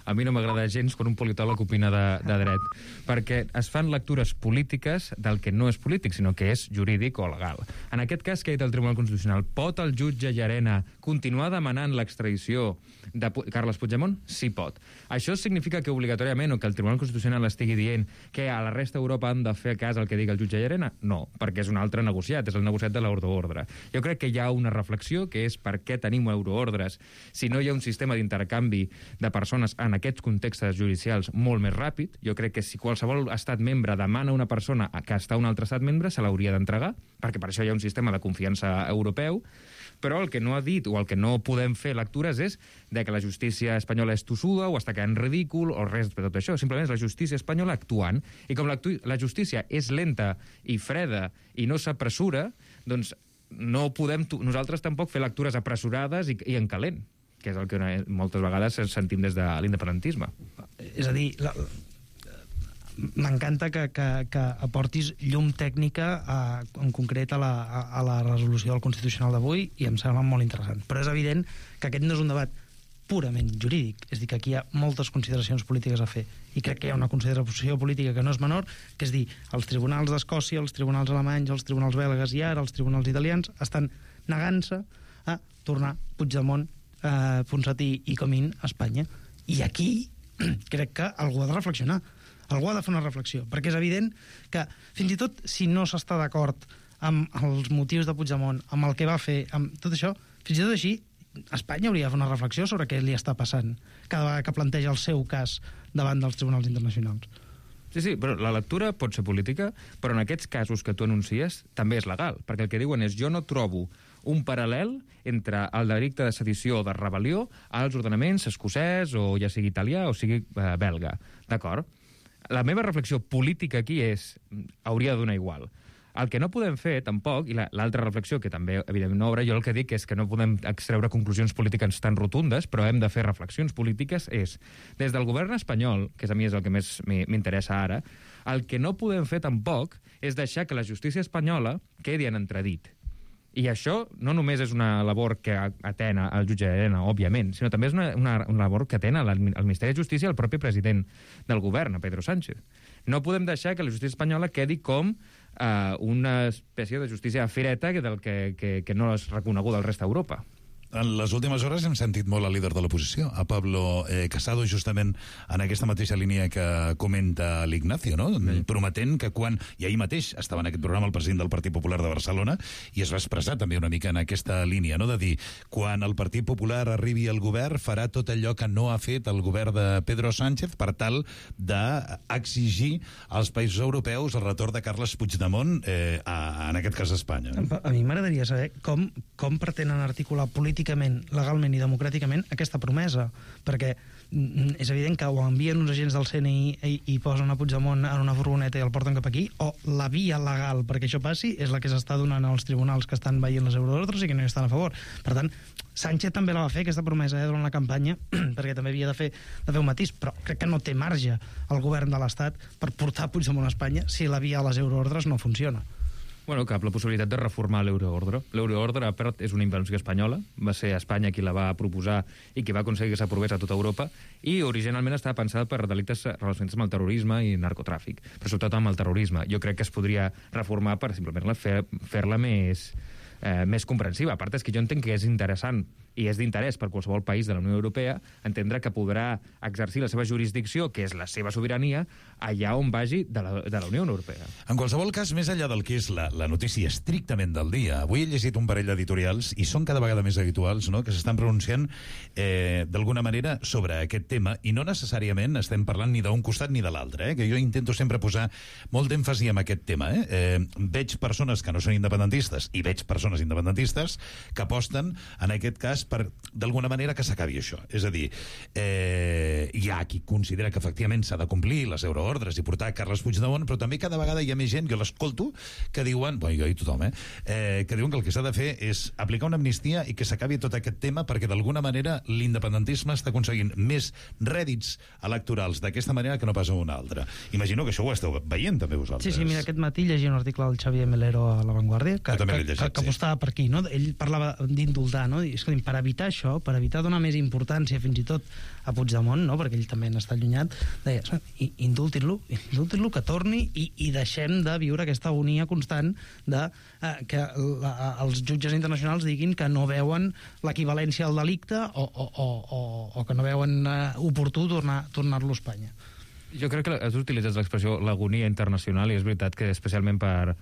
Speaker 12: a mi no m'agrada gens quan un politòleg opina de, de dret, perquè es fan lectures polítiques del que no és polític, sinó que és jurídic o legal. En aquest cas, que ha dit el Tribunal Constitucional, pot el jutge Llarena continuar demanant l'extradició de Carles Puigdemont? Sí, pot. Això significa que obligatòriament, o que el Tribunal Constitucional estigui dient que a la resta d'Europa han de fer cas al que digui el jutge Llarena? No, perquè és un altre negociat, és el negociat de l'euroordre. Jo crec que hi ha una reflexió, que és per què tenim euroordres si no hi ha un sistema d'intercanvi de persones en aquests contextes judicials molt més ràpid. Jo crec que si qualsevol estat membre demana a una persona que està a un altre estat membre, se l'hauria d'entregar, perquè per això hi ha un sistema de confiança europeu. Però el que no ha dit, o el que no podem fer lectures, és de que la justícia espanyola és tossuda, o està quedant ridícul, o res de tot això. Simplement és la justícia espanyola actuant, i com la justícia és lenta i freda i no s'apressura, doncs no podem nosaltres tampoc fer lectures apressurades i, i en calent, que és el que moltes vegades sentim des de l'independentisme.
Speaker 11: És a dir, la, m'encanta que, que, que aportis llum tècnica a, en concret a la, a, a la resolució del Constitucional d'avui, i em sembla molt interessant. Però és evident que aquest no és un debat purament jurídic, és dir, que aquí hi ha moltes consideracions polítiques a fer, i crec que hi ha una consideració política que no és menor, que és dir, els tribunals d'Escòcia, els tribunals alemanys, els tribunals belgues i ara els tribunals italians estan negant-se a tornar Puigdemont, eh, Ponsatí i Comín a Espanya. I aquí crec que algú ha de reflexionar, algú ha de fer una reflexió, perquè és evident que fins i tot si no s'està d'acord amb els motius de Puigdemont, amb el que va fer, amb tot això, fins i tot així Espanya hauria de fer una reflexió sobre què li està passant cada vegada que planteja el seu cas davant dels tribunals internacionals.
Speaker 12: Sí, sí, però la lectura pot ser política, però en aquests casos que tu anuncies també és legal, perquè el que diuen és jo no trobo un paral·lel entre el delicte de sedició o de rebel·lió als ordenaments escocès o ja sigui italià o sigui eh, belga, d'acord? La meva reflexió política aquí és hauria de donar igual. El que no podem fer, tampoc, i l'altra reflexió, que també, evidentment, no obre, jo el que dic és que no podem extreure conclusions polítiques tan rotundes, però hem de fer reflexions polítiques, és, des del govern espanyol, que a mi és el que més m'interessa ara, el que no podem fer tampoc és deixar que la justícia espanyola quedi en entredit. I això no només és una labor que atena el jutge Llarena, òbviament, sinó també és una, una, una labor que atena el Ministeri de Justícia i el propi president del govern, a Pedro Sánchez. No podem deixar que la justícia espanyola quedi com uh, una espècie de justícia fireta del que, que, que no és reconeguda al resta d'Europa.
Speaker 6: En les últimes hores hem sentit molt al líder de l'oposició, a Pablo eh, Casado, justament en aquesta mateixa línia que comenta l'Ignacio, no? Sí. Prometent que quan... I ahir mateix estava en aquest programa el president del Partit Popular de Barcelona i es va expressar també una mica en aquesta línia, no? De dir, quan el Partit Popular arribi al govern farà tot allò que no ha fet el govern de Pedro Sánchez per tal d'exigir als països europeus el retorn de Carles Puigdemont, eh, a, en aquest cas a Espanya. No?
Speaker 11: A mi m'agradaria saber com, com pretenen articular políticament, legalment i democràticament aquesta promesa, perquè és evident que o envien uns agents del C N I i, i posen a Puigdemont en una furgoneta i el porten cap aquí, o la via legal perquè això passi és la que s'està donant als tribunals que estan veient les euroordres i que no hi estan a favor. Per tant, Sánchez també la va fer, aquesta promesa, eh, durant la campanya, perquè també havia de fer, de fer un matís, però crec que no té marge el govern de l'Estat per portar Puigdemont a Espanya si la via a les euroordres no funciona.
Speaker 12: Bueno, cap la possibilitat de reformar l'euroordre. L'euroordre, a part, és una invenció espanyola. Va ser Espanya qui la va proposar i qui va aconseguir que s'aprovés a tota Europa, i originalment estava pensada per delictes relacionats amb el terrorisme i narcotràfic, però sobretot amb el terrorisme. Jo crec que es podria reformar per simplement fer, fer-la més, eh, més comprensiva. A part, és que jo entenc que és interessant i és d'interès per qualsevol país de la Unió Europea entendre que podrà exercir la seva jurisdicció, que és la seva sobirania, allà on vagi de la, de la Unió Europea.
Speaker 6: En qualsevol cas, més enllà del que és la, la notícia estrictament del dia, avui he llegit un parell d'editorials, i són cada vegada més habituals, no?, que s'estan pronunciant eh, d'alguna manera sobre aquest tema, i no necessàriament estem parlant ni d'un costat ni de l'altre, eh, que jo intento sempre posar molt d'èmfasi en aquest tema. Eh? Eh, veig persones que no són independentistes i veig persones independentistes que aposten, en aquest cas, per d'alguna manera que s'acabi això. És a dir, eh, hi ha qui considera que efectivament s'ha de complir les euroordres i portar Carles Puigdemont, però també cada vegada hi ha més gent, jo l'escolto, que diuen, bueno, jo i tothom, eh, eh, que diuen que el que s'ha de fer és aplicar una amnistia i que s'acabi tot aquest tema perquè d'alguna manera l'independentisme està aconseguint més rèdits electorals d'aquesta manera que no pas una altra. Imagino que això ho esteu veient també vosaltres.
Speaker 11: Sí, sí, mira, aquest matí llegia un article del Xavier Melero a La Vanguardia que, que, llegit, que, que apostava sí. per aquí, no? Ell parlava d'indultar, no? I, escolta, per evitar això, per evitar donar més importància fins i tot a Puigdemont, no?, perquè ell també n'està allunyat, deia, indultin-lo, indultin-lo, que torni i, i deixem de viure aquesta agonia constant de eh, que la, els jutges internacionals diguin que no veuen l'equivalència al delicte o, o, o, o, o que no veuen eh, oportú tornar, tornar-lo a Espanya.
Speaker 12: Jo crec que has utilitzat l'expressió l'agonia internacional i és veritat que especialment per,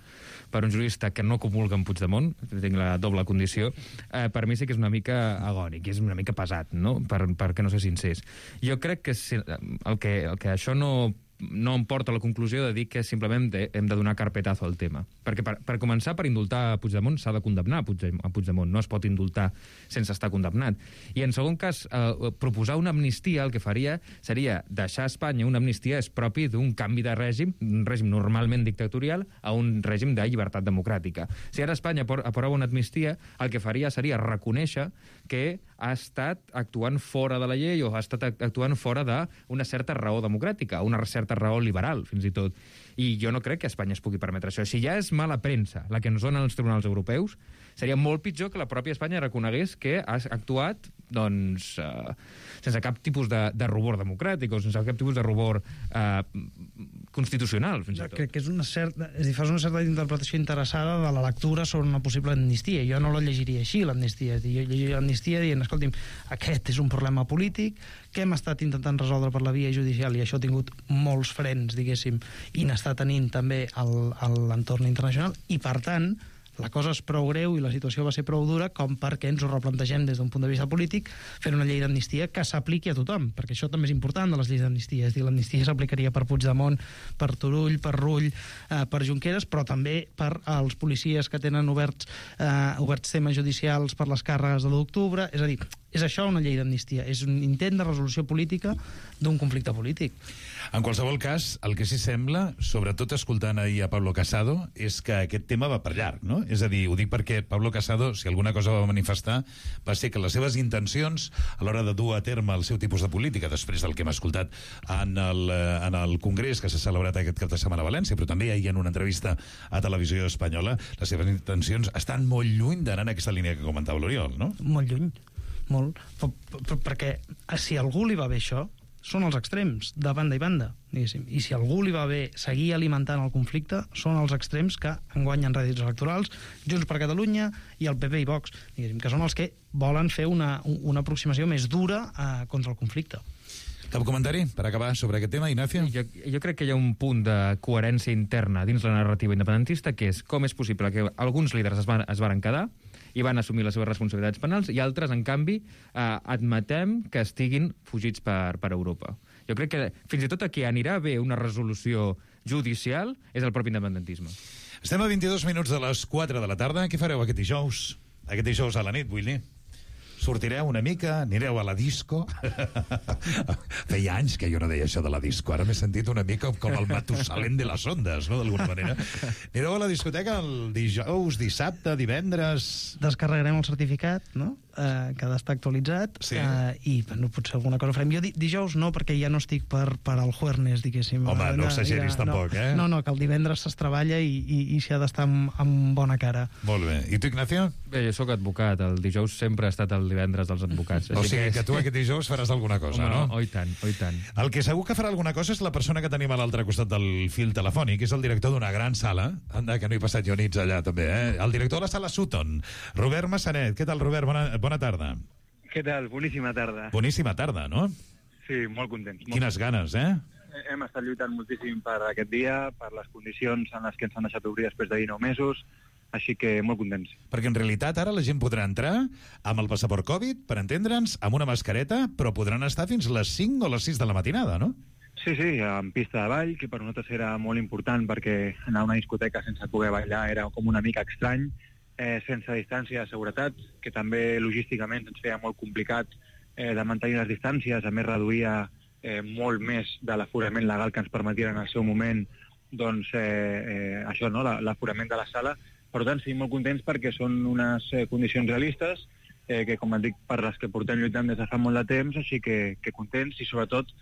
Speaker 12: per un jurista que no comulga amb Puigdemont, tinc la doble condició, eh, per mi sí que és una mica agònic, és una mica pesat, no?, per, perquè no ser sincers. Jo crec que si, el que, el que això no no em porta a la conclusió de dir que simplement de, hem de donar carpetazo al tema. Perquè per, per començar, per indultar a Puigdemont s'ha de condemnar a Puigdemont, a Puigdemont, no es pot indultar sense estar condemnat. I en segon cas, eh, proposar una amnistia el que faria seria deixar a Espanya una amnistia és propi d'un canvi de règim, un règim normalment dictatorial, a un règim de llibertat democràtica. Si ara Espanya aprova una amnistia, el que faria seria reconèixer que ha estat actuant fora de la llei o ha estat actuant fora d'una certa raó democràtica, una certa raó liberal, fins i tot. I jo no crec que Espanya es pugui permetre això. Si ja és mala premsa la que ens donen els tribunals europeus, seria molt pitjor que la pròpia Espanya reconegués que ha actuat doncs, eh, sense cap tipus de, de rubor democràtic o sense cap tipus de rubor eh, constitucional, fins i tot.
Speaker 11: Crec que és una certa, és a dir, fas una certa interpretació interessada de la lectura sobre una possible amnistia. Jo no la llegiria així, l'amnistia. Jo llegiria l'amnistia dient, escolti'm, aquest és un problema polític que hem estat intentant resoldre per la via judicial i això ha tingut molts frens, diguéssim, i n'està tenint també l'entorn internacional i, per tant, la cosa és prou greu i la situació va ser prou dura com perquè ens ho replantegem des d'un punt de vista polític fent una llei d'amnistia que s'apliqui a tothom, perquè això també és important de les lleis d'amnistia. És a dir, l'amnistia s'aplicaria per Puigdemont, per Turull, per Rull, eh, per Junqueras, però també per als policies que tenen oberts, eh, oberts temes judicials per les càrregues de l'u d'octubre. És a dir, és això una llei d'amnistia, és un intent de resolució política d'un conflicte polític.
Speaker 6: En qualsevol cas, el que sí sembla, sobretot escoltant ahir a Pablo Casado, és que aquest tema va per llarg, no? És a dir, ho dic perquè Pablo Casado, si alguna cosa va manifestar, va ser que les seves intencions a l'hora de dur a terme el seu tipus de política, després del que hem escoltat en el, en el Congrés que s'ha celebrat aquest cap de setmana a València, però també ahir en una entrevista a Televisió Espanyola, les seves intencions estan molt lluny d'anar en aquesta línia que comentava l'Oriol, no?
Speaker 11: Molt lluny, molt. Per, per, perquè si a algú li va bé això, són els extrems, de banda i banda, diguéssim. I si a algú li va bé seguir alimentant el conflicte, són els extrems que enguanyen rèdits electorals, Junts per Catalunya i el P P i Vox, diguéssim, que són els que volen fer una, una aproximació més dura eh, contra el conflicte.
Speaker 6: Cap comentari per acabar sobre aquest tema, Ignacio?
Speaker 12: Jo, jo crec que hi ha un punt de coherència interna dins la narrativa independentista, que és com és possible que alguns líders es van, es varen quedar i van assumir les seves responsabilitats penals, i altres, en canvi, eh, admetem que estiguin fugits per, per Europa. Jo crec que fins i tot a qui anirà bé una resolució judicial és el propi independentisme.
Speaker 6: Estem a vint-i-dos minuts de les quatre de la tarda. Què fareu aquest dijous? Aquest dijous a la nit, vull dir. Sortireu una mica, anireu a la disco. Feia anys que jo no deia això de la disco. Ara m'he sentit una mica com el Matusalem de les ondes, no?, d'alguna manera. Anireu a la discoteca el dijous, dissabte, divendres...
Speaker 11: Descarregarem el certificat, no?, eh, que ha d'estar actualitzat, sí. eh, i bueno, potser alguna cosa farem. Jo di dijous no, perquè ja no estic per, per al jueves, diguéssim.
Speaker 6: Home, no exageris ja, tampoc,
Speaker 11: no,
Speaker 6: eh?
Speaker 11: No, no, que el divendres es treballa i, i, i s'hi ha d'estar amb, amb bona cara.
Speaker 6: Molt bé. I tu, Ignacio?
Speaker 12: Bé, jo sóc advocat. El dijous sempre ha estat el divendres dels advocats.
Speaker 6: O sigui que tu aquest dijous faràs alguna cosa,
Speaker 12: home,
Speaker 6: no?
Speaker 12: Oh, i tant, oh, i tant.
Speaker 6: El que segur que farà alguna cosa és la persona que tenim a l'altre costat del fil telefònic, que és el director d'una gran sala. Anda, que no he passat jo nits allà, també, eh? El director de la sala Sutton, Robert Massanet. Què tal, Robert? Bona, bona tarda.
Speaker 14: Què tal? Boníssima tarda.
Speaker 6: Boníssima tarda, no?
Speaker 14: Sí, molt contents. Molt
Speaker 6: Quines ganes, eh?
Speaker 14: Hem estat lluitant moltíssim per aquest dia, per les condicions en les que ens han deixat obrir després de dinou mesos, així que molt contents.
Speaker 6: Perquè en realitat ara la gent podrà entrar amb el passaport Covid, per entendre'ns, amb una mascareta, però podran estar fins les cinc o les sis de la matinada, no?
Speaker 14: Sí, sí, en pista de ball, que per nosaltres era molt important perquè anar a una discoteca sense poder ballar era com una mica estrany, eh, sense distància de seguretat, que també logísticament ens feia molt complicat eh, de mantenir les distàncies, a més reduïa eh, molt més de l'aforament legal que ens permetia en el seu moment doncs, eh, eh, això, no? l'aforament de la sala. Per tant, sí, molt contents perquè són unes eh, condicions realistes, eh, que com et dic, per les que portem lluitant des de fa molt de temps, així que, que contents i sobretot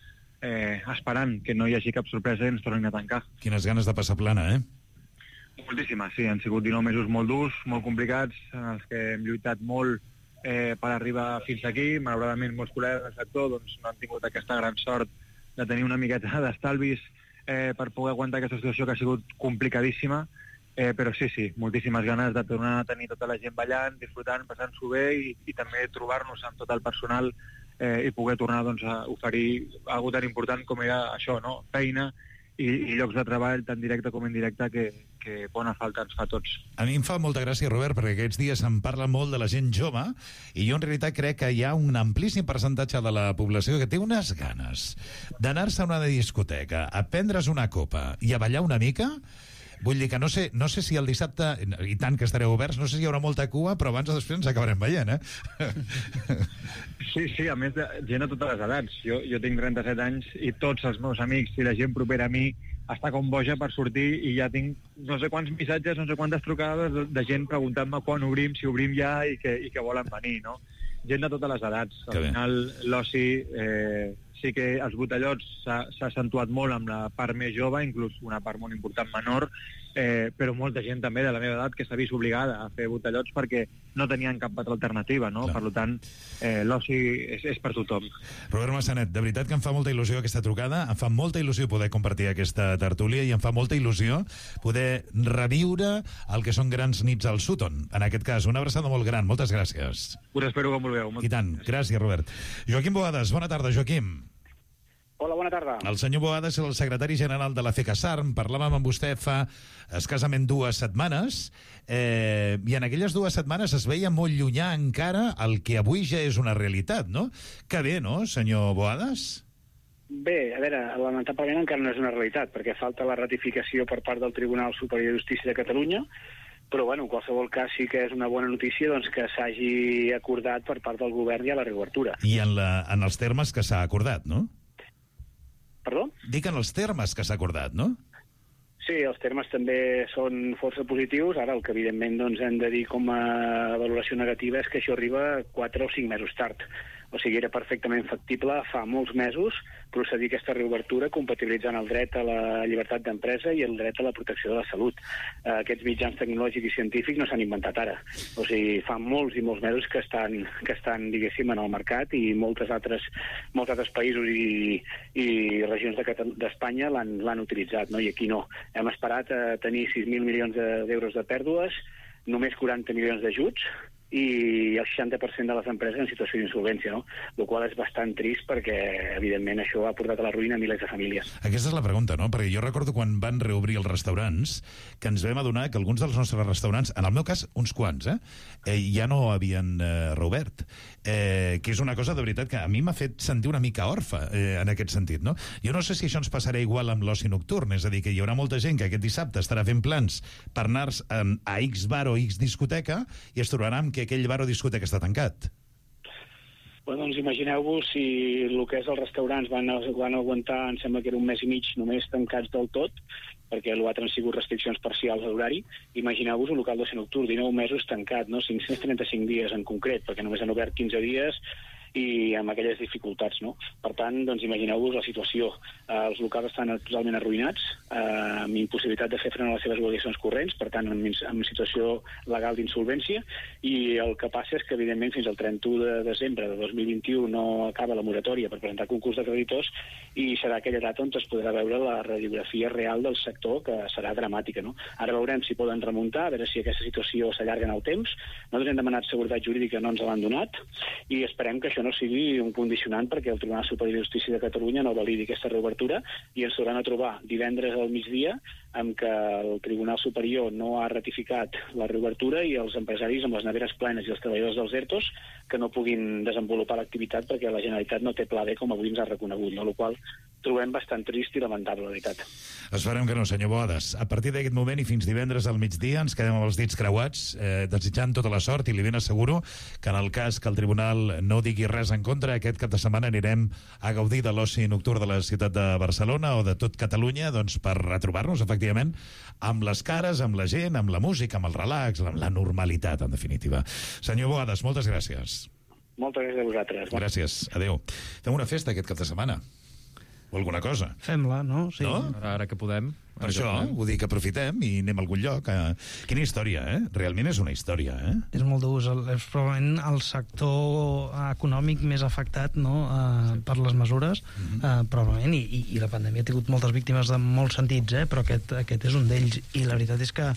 Speaker 14: eh, esperant que no hi hagi cap sorpresa i ens tornin a tancar.
Speaker 6: Quines ganes de passar plana, eh?
Speaker 14: Moltíssimes, sí. Han sigut dinou mesos molt durs, molt complicats, en els que hem lluitat molt eh, per arribar fins aquí. Malauradament, molts col·legues del sector doncs, no han tingut aquesta gran sort de tenir una miqueta d'estalvis eh, per poder aguantar aquesta situació que ha sigut complicadíssima. Eh, però sí, sí, moltíssimes ganes de tornar a tenir tota la gent ballant, disfrutant, passant-s'ho bé i, i també trobar-nos amb tot el personal eh, i poder tornar doncs, a oferir alguna tan important com era això, no? Feina i, i llocs de treball tant directe com indirecte que, que bona falta ens fa a tots.
Speaker 6: A mi em fa molta gràcia, Robert, perquè aquests dies em parla molt de la gent jove i jo en realitat crec que hi ha un amplíssim percentatge de la població que té unes ganes d'anar-se a una discoteca, a prendre's una copa i a ballar una mica. Vull dir que no sé, no sé si el dissabte, i tant que estareu oberts, no sé si hi haurà molta cua, però abans o després ens acabarem veient, eh?
Speaker 14: Sí, sí, a més de gent a totes les edats. Jo, jo tinc trenta-set anys i tots els meus amics i la gent propera a mi està com boja per sortir i ja tinc no sé quants missatges, no sé quantes trucades de, de gent preguntant-me quan obrim, si obrim ja i que, i que volen venir, no? Gent de totes les edats. Al final, l'oci, eh, sí que els botellots s'ha accentuat molt amb la part més jove, inclús una part molt important menor, eh, però molta gent també de la meva edat que s'ha vist obligada a fer botellots perquè no tenien cap altra alternativa, no? Clar. Per tant, eh, l'oci és, és per tothom.
Speaker 6: Robert Massanet, de veritat que em fa molta il·lusió aquesta trucada, em fa molta il·lusió poder compartir aquesta tertúlia i em fa molta il·lusió poder reviure el que són grans nits al Sutton. En aquest cas, una abraçada molt gran. Moltes gràcies.
Speaker 14: Us espero com vulgueu.
Speaker 6: I tant. Gràcies, Robert. Joaquim Boades, bona tarda, Joaquim.
Speaker 15: Hola, bona tarda.
Speaker 6: El senyor Boades és el secretari general de la FECASARM. Parlàvem amb vostè fa escassament dues setmanes eh, i en aquelles dues setmanes es veia molt llunyà encara el que avui ja és una realitat, no? Que bé, no, senyor Boades?
Speaker 15: Bé, a veure, lamentablement encara no és una realitat, perquè falta la ratificació per part del Tribunal Superior de Justícia de Catalunya, però bueno, en qualsevol cas sí que és una bona notícia doncs, que s'hagi acordat per part del govern i a la reobertura.
Speaker 6: I en, la, en els termes que s'ha acordat, no?
Speaker 15: Perdó?
Speaker 6: Dic en els termes que s'ha acordat, no?
Speaker 15: Sí, els termes també són força positius. Ara el que evidentment doncs, hem de dir com a valoració negativa és que això arriba quatre o cinc mesos tard. O sigui, era perfectament factible fa molts mesos procedir a aquesta reobertura compatibilitzant el dret a la llibertat d'empresa i el dret a la protecció de la salut. Eh, aquests mitjans tecnològics i científics no s'han inventat ara. O sigui, fa molts i molts mesos que estan, que estan diguéssim, en el mercat i moltes altres, molts altres països i, i regions d'Espanya de, l'han utilitzat, no? I aquí no. Hem esperat a tenir sis mil milions d'euros de pèrdues, només quaranta milions d'ajuts, i el seixanta per cent de les empreses en situació d'insolvència, no? El qual és bastant trist perquè, evidentment, això ha portat a la ruïna a milers de famílies.
Speaker 6: Aquesta és la pregunta, no? Perquè jo recordo quan van reobrir els restaurants que ens vam adonar que alguns dels nostres restaurants, en el meu cas, uns quants, eh, eh ja no havien eh, reobert. Eh, que és una cosa, de veritat, que a mi m'ha fet sentir una mica orfa eh, en aquest sentit, no? Jo no sé si això ens passarà igual amb l'oci nocturn, és a dir, que hi haurà molta gent que aquest dissabte estarà fent plans per anar eh, a X bar o X discoteca i es trobaran que aquell bar o discoteca està tancat.
Speaker 15: Bueno, doncs imagineu-vos si el que és els restaurants van, van aguantar, em sembla que era un mes i mig només tancats del tot, perquè l'altre han sigut restriccions parcials a l'horari. Imagineu-vos un local d'oci nocturn, dinou mesos tancat, no? cinc-cents trenta-cinc dies en concret, perquè només han obert quinze dies i amb aquelles dificultats, no? Per tant, doncs imagineu-vos la situació. Eh, els locals estan totalment arruïnats, eh, amb impossibilitat de fer front a les seves obligacions corrents, per tant, en, en situació legal d'insolvència, i el que passa és que, evidentment, fins al trenta-u de desembre de dos mil vint-i-u no acaba la moratòria per presentar concurs de creditors i serà aquella data on es podrà veure la radiografia real del sector, que serà dramàtica, no? Ara veurem si poden remuntar, a veure si aquesta situació s'allarga en el temps. Nosaltres hem demanat seguretat jurídica, no ens l'han donat, i esperem que això no sigui un condicionant perquè el Tribunal Superior de Justícia de Catalunya no validi aquesta reobertura i ens tornaran a trobar divendres al migdia amb que el Tribunal Superior no ha ratificat la reobertura i els empresaris amb les neveres plenes i els treballadors dels ERTOs que no puguin desenvolupar l'activitat perquè la Generalitat no té pla B com avui ens ha reconegut, no? El qual trobem bastant trist i lamentable, la veritat.
Speaker 6: Esperem que no, senyor Boades. A partir d'aquest moment i fins divendres al migdia ens quedem amb els dits creuats, eh, desitjant tota la sort i li ben asseguro que en el cas que el Tribunal no digui res en contra, aquest cap de setmana anirem a gaudir de l'oci nocturn de la ciutat de Barcelona o de tot Catalunya, doncs per retrobar-nos, efectivament, amb les cares, amb la gent, amb la música, amb el relax, amb la normalitat, en definitiva. Senyor Boades, moltes gràcies.
Speaker 15: Moltes gràcies a vosaltres.
Speaker 6: Gràcies, adeu. Fem una festa aquest cap de setmana. O alguna cosa.
Speaker 11: Fem-la, no? Sí.
Speaker 6: No?
Speaker 12: Ara, ara que podem.
Speaker 6: Per això, vull dir que aprofitem i anem a algun lloc. Eh? Quina història, eh? Realment és una història, eh?
Speaker 11: És molt dur, és probablement el sector econòmic més afectat, no?, eh, per les mesures, mm-hmm. eh, probablement, i, i la pandèmia ha tingut moltes víctimes en molts sentits, eh? Però aquest, aquest és un d'ells, i la veritat és que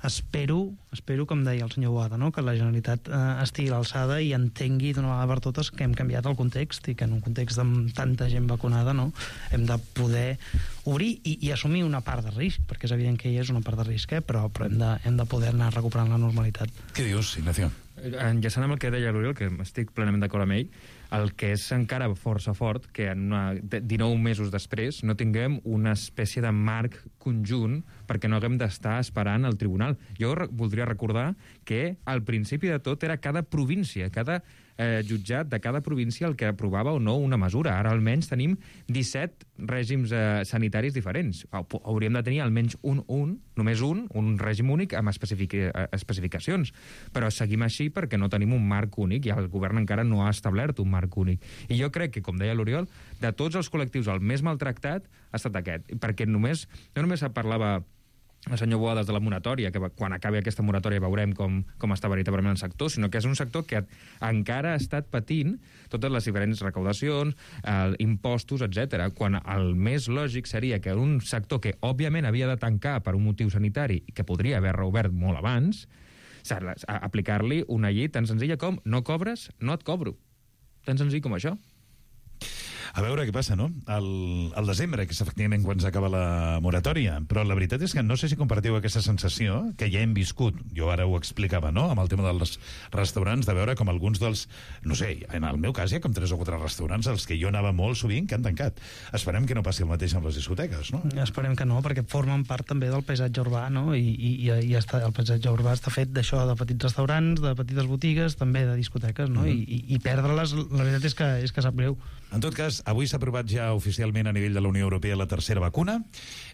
Speaker 11: espero, espero, com deia el senyor Boada, no?, que la Generalitat eh, estigui a l'alçada i entengui d'una vegada per totes que hem canviat el context i que en un context amb tanta gent vacunada, no?, hem de poder obrir i, i assumir una part de risc, perquè és evident que hi és una part de risc, eh? però, però hem, de, hem de poder anar recuperant la normalitat.
Speaker 6: Què dius, Ignacio?
Speaker 12: Enllaçant amb el que deia l'Oriol, que estic plenament d'acord amb ell, el que és encara força fort que en una, dinou mesos després no tinguem una espècie de marc conjunt perquè no haguem d'estar esperant el tribunal. Jo re voldria recordar que al principi de tot era cada província, cada eh, jutjat de cada província el que aprovava o no una mesura. Ara almenys tenim disset règims eh, sanitaris diferents. Hauríem de tenir almenys un, un, només un, un règim únic amb especific especificacions. Però seguim així perquè no tenim un marc únic i el govern encara no ha establert un marc únic. I jo crec que, com deia l'Oriol, de tots els col·lectius el més maltractat ha estat aquest. Perquè només, no només parlava el senyor Boades de la moratòria, que quan acabi aquesta moratòria veurem com, com està veritablement el sector, sinó que és un sector que encara ha estat patint totes les diferents recaudacions, eh, impostos, etcètera. Quan el més lògic seria que un sector que òbviament havia de tancar per un motiu sanitari i que podria haver reobert molt abans, aplicar-li una llei tan senzilla com no cobres, no et cobro. Tan senzill com això.
Speaker 6: A veure què passa, no? El, el desembre, que és efectivament quan s'acaba la moratòria, però la veritat és que no sé si compartiu aquesta sensació que ja hem viscut, jo ara ho explicava, no?, amb el tema dels restaurants, de veure com alguns dels, no sé, en el meu cas hi ha com tres o quatre restaurants als que jo anava molt sovint que han tancat. Esperem que no passi el mateix amb les discoteques, no?
Speaker 11: Esperem que no, perquè formen part també del paisatge urbà, no?, i, i, i està, el paisatge urbà està fet d'això, de petits restaurants, de petites botigues, també de discoteques, no?, mm-hmm. I, i, i perdre-les, la veritat és que, és que sap greu.
Speaker 6: En tot cas, avui s'ha aprovat ja oficialment a nivell de la Unió Europea la tercera vacuna.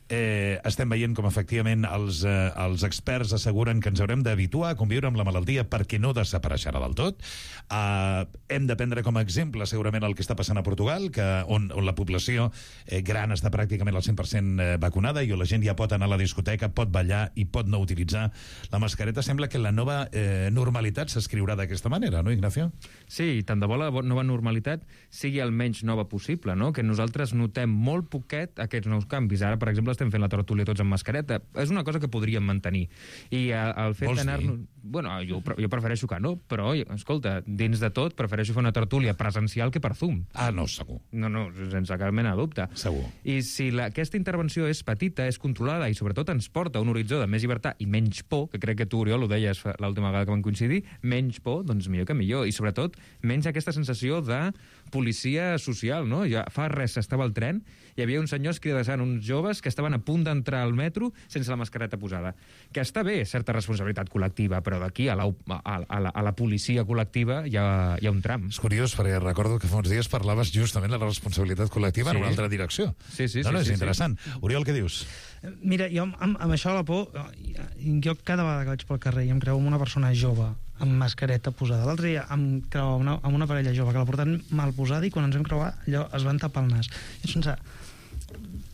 Speaker 6: Eh, estem veient com efectivament els, eh, els experts asseguren que ens haurem d'habituar a conviure amb la malaltia perquè no desapareixerà del tot. Eh, hem de prendre com a exemple segurament el que està passant a Portugal, que, on, on la població eh, gran està pràcticament al cent per cent vacunada i on la gent ja pot anar a la discoteca, pot ballar i pot no utilitzar la mascareta. Sembla que la nova eh, normalitat s'escriurà d'aquesta manera, no, Ignacio?
Speaker 12: Sí, tant de bo la nova normalitat sigui el menys nova possible, no? Que nosaltres notem molt poquet aquests nous canvis. Ara, per exemple, estem fent la tertúlia tots amb mascareta. És una cosa que podríem mantenir. I el fet d'anar-nos... Bueno, jo, jo prefereixo que no, però, escolta, dins de tot, prefereixo fer una tertúlia presencial que per Zoom.
Speaker 6: Ah, no, segur.
Speaker 12: No, no, sense cap mena de dubte.
Speaker 6: Segur.
Speaker 12: I si la, aquesta intervenció és petita, és controlada i sobretot ens porta a un horitzó de més llibertat i menys por, que crec que tu, Oriol, ho deies l'última vegada que vam coincidir, menys por, doncs millor que millor. I sobretot, menys aquesta sensació de policia social, no? Ja fa res estava al tren, hi havia uns senyors cridassant uns joves que estaven a punt d'entrar al metro sense la mascareta posada. Que està bé, certa responsabilitat col·lectiva, però d'aquí a, la, a, a, la, a la policia col·lectiva hi ha, hi ha un tram.
Speaker 6: És curiós, perquè recordo que fa uns dies parlaves justament de la responsabilitat col·lectiva sí. en una altra direcció.
Speaker 12: Sí, sí, sí.
Speaker 6: No, no, és
Speaker 12: sí,
Speaker 6: interessant.
Speaker 12: Sí.
Speaker 6: Oriol, què dius?
Speaker 11: Mira, jo amb, amb això de la por, jo cada vegada que vaig pel carrer i em creu una persona jove amb mascareta posada. L'altre dia em creuava una, amb una parella jove que la portaven mal posada i quan ens vam creuar allò es van tapar el nas. I és pensar,